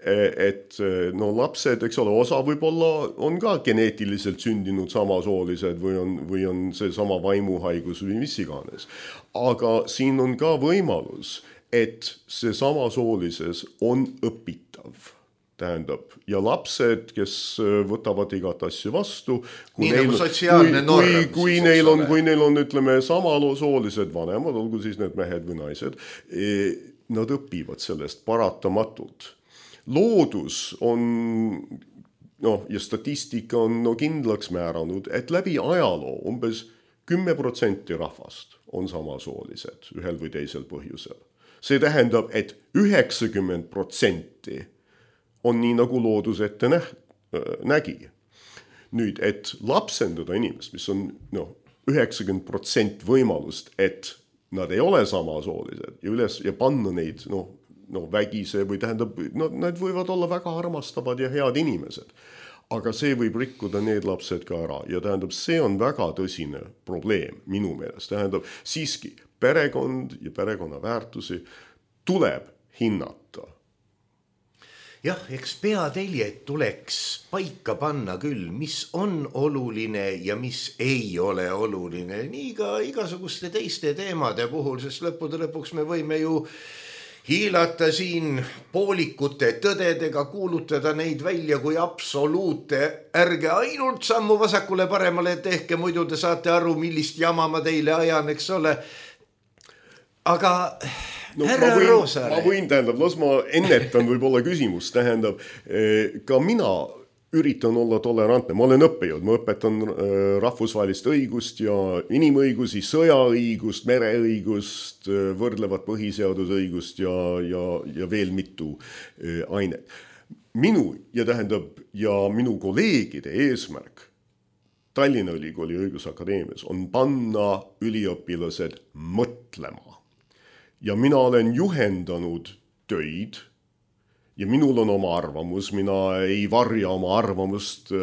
et no lapsed, eks ole, osa võib-olla on ka geneetiliselt sündinud samasoolised või on see sama vaimuhaigus või mis iganes. Aga siin on ka võimalus, et see samasoolises on õpitav. Tähendab, ja lapsed, kes võtavad igat asju vastu, kui neil on, ütleme, samasoolised vanemad, olgu siis need mehed või naised, nad õpivad sellest paratamatult. Loodus on, ja statistika on kindlaks määranud, et läbi ajaloo umbes 10% rahvast on samasoolised ühel või teisel põhjusel. See tähendab, et 90% on nii nagu loodus ette nägi. Nüüd, et lapsendada inimest, mis on 90% võimalust, et nad ei ole samasoolised ja panna neid vägise või tähendab, nad võivad olla väga armastavad ja head inimesed. Aga see võib rikkuda need lapsed ka ära ja tähendab, see on väga tõsine probleem minu meelest. Tähendab, siiski perekond ja perekonna väärtusi tuleb hinnata. Jah, eks peateljed tuleks paika panna küll, mis on oluline ja mis ei ole oluline. Nii ka igasuguste teiste teemade puhul, sest lõppude lõpuks me võime ju hiilata siin poolikute tõdedega, kuulutada neid välja kui absoluute. Ärge ainult sammu vasakule paremale tehke, muidu te saate aru, millist jama ma teile ajan, eks ole. Aga... No, ma võin, tähendab, las ma ennetan võib-olla küsimus, tähendab, ka mina üritan olla tolerantne, ma olen õppejõud, ma õpetan rahvusvahelist õigust ja inimõigusi, sõjaõigust, mereõigust, võrdlevat põhiseadusõigust ja veel mitu ainet. Minu ja minu kolleegide eesmärk Tallinna Ülikooli õigusakadeemias on panna üliõpilased mõtlema. Ja mina olen juhendanud töid ja minul on oma arvamus, mina ei varja oma arvamust,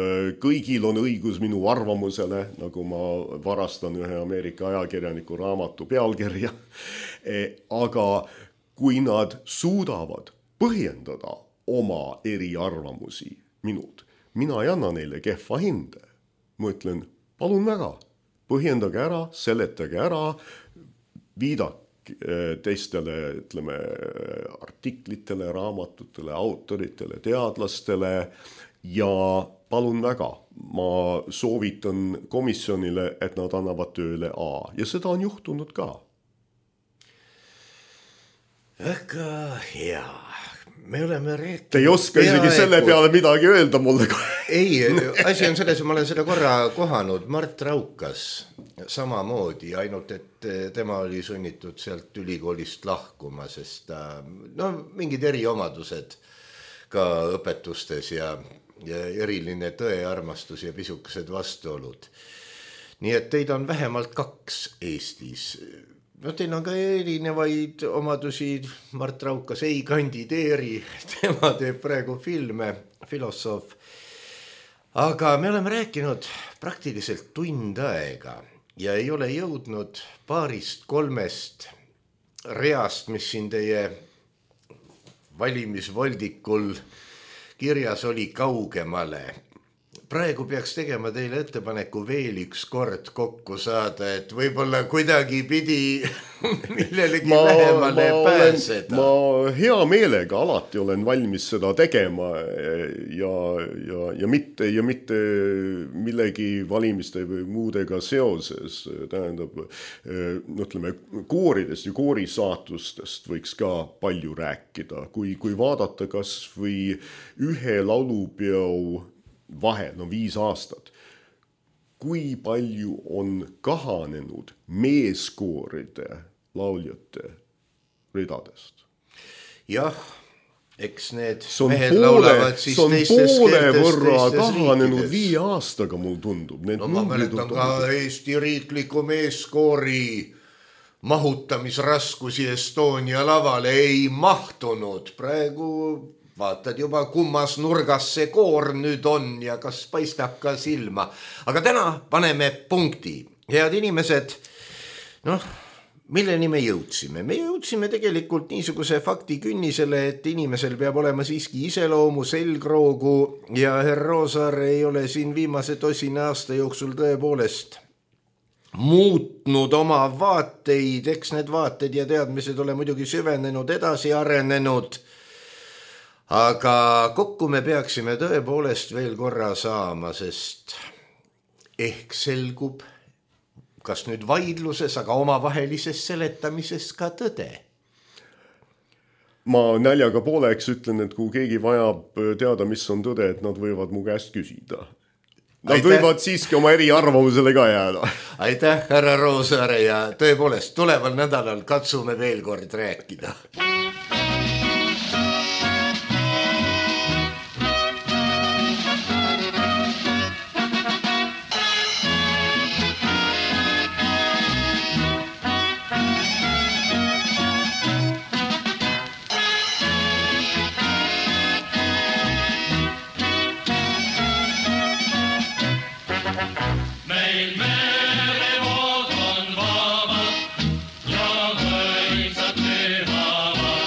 kõigil on õigus minu arvamusele, nagu ma varastan ühe Ameerika ajakirjaniku raamatu pealkirja. Aga kui nad suudavad põhjendada oma eriarvamusi minult, mina ei anna neile kehva hinde. Ma ütlen, palun väga, põhjendage ära, seletage ära, viidake teistele, ütleme, artiklitele, raamatutele, autoritele, teadlastele ja palun väga, ma soovitan komisjonile, et nad annavad tööle A ja seda on juhtunud ka. Väga hea. Me oleme rääkinud... Te ei oska isegi selle peale midagi öelda mulle. Ei, asi on selles, ma olen seda korra kohanud. Mart Raukas samamoodi, ainult et tema oli sunnitud sealt ülikoolist lahkuma, sest mingid eriomadused ka õpetustes ja eriline tõearmastus ja pisukesed vastuolud. Nii et teid on vähemalt 2 Eestis. Teil on ka erinevaid omadusi, Mart Raukas ei kandideeri, tema teeb praegu filme, filosoof. Aga me oleme rääkinud praktiliselt tund aega ja ei ole jõudnud 2-3 reast, mis siin teie valimisvoldikul kirjas oli kaugemale. Praegu peaks tegema teile ettepaneku veel üks kord kokku saada, et võib-olla kuidagi pidi millelegi lähemale pääseda. Ma hea meelega alati olen valmis seda tegema ja mitte millegi valimiste või muudega seoses. Tähendab, ütleme, kooridest ja koorisaatustest võiks ka palju rääkida. Kui vaadata kas või ühe laulupeo vahel, 5 aastat, kui palju on kahanenud meeskooride lauljate ridadest? Jah, eks need mehed laulavad siis teistes poole võrra kahanenud 5 aastaga, mul tundub. Ma mäletan ka Eesti riikliku meeskoori mahutamisraskusi Estonia lavale ei mahtunud. Praegu vaatad juba, kummas nurgas see koor nüüd on ja kas paistab ka silma. Aga täna paneme punkti. Head inimesed, milleni me jõudsime? Me jõudsime tegelikult niisuguse fakti künnisele, et inimesel peab olema siiski iseloomu, selgroogu ja herr Roosaar ei ole siin viimase 2 aasta jooksul tõepoolest muutnud oma vaateid. Eks need vaated ja teadmised ole muidugi süvenenud, edasi arenenud. Aga kokku me peaksime tõepoolest veel korra saama, sest ehk selgub, kas nüüd vaidluses, aga omavahelises seletamises ka tõde. Ma näljaga pooleks ütlen, et kui keegi vajab teada, mis on tõde, et nad võivad mu käest küsida. Nad võivad siiski oma eriarvamusele ka jääda. Aitäh, härra Roosaare, ja tõepoolest tuleval nädalal katsume veel kord rääkida. Merevood on vabad ja mõisad pühavad.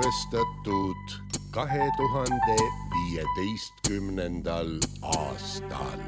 salvestatud 2015. aastal.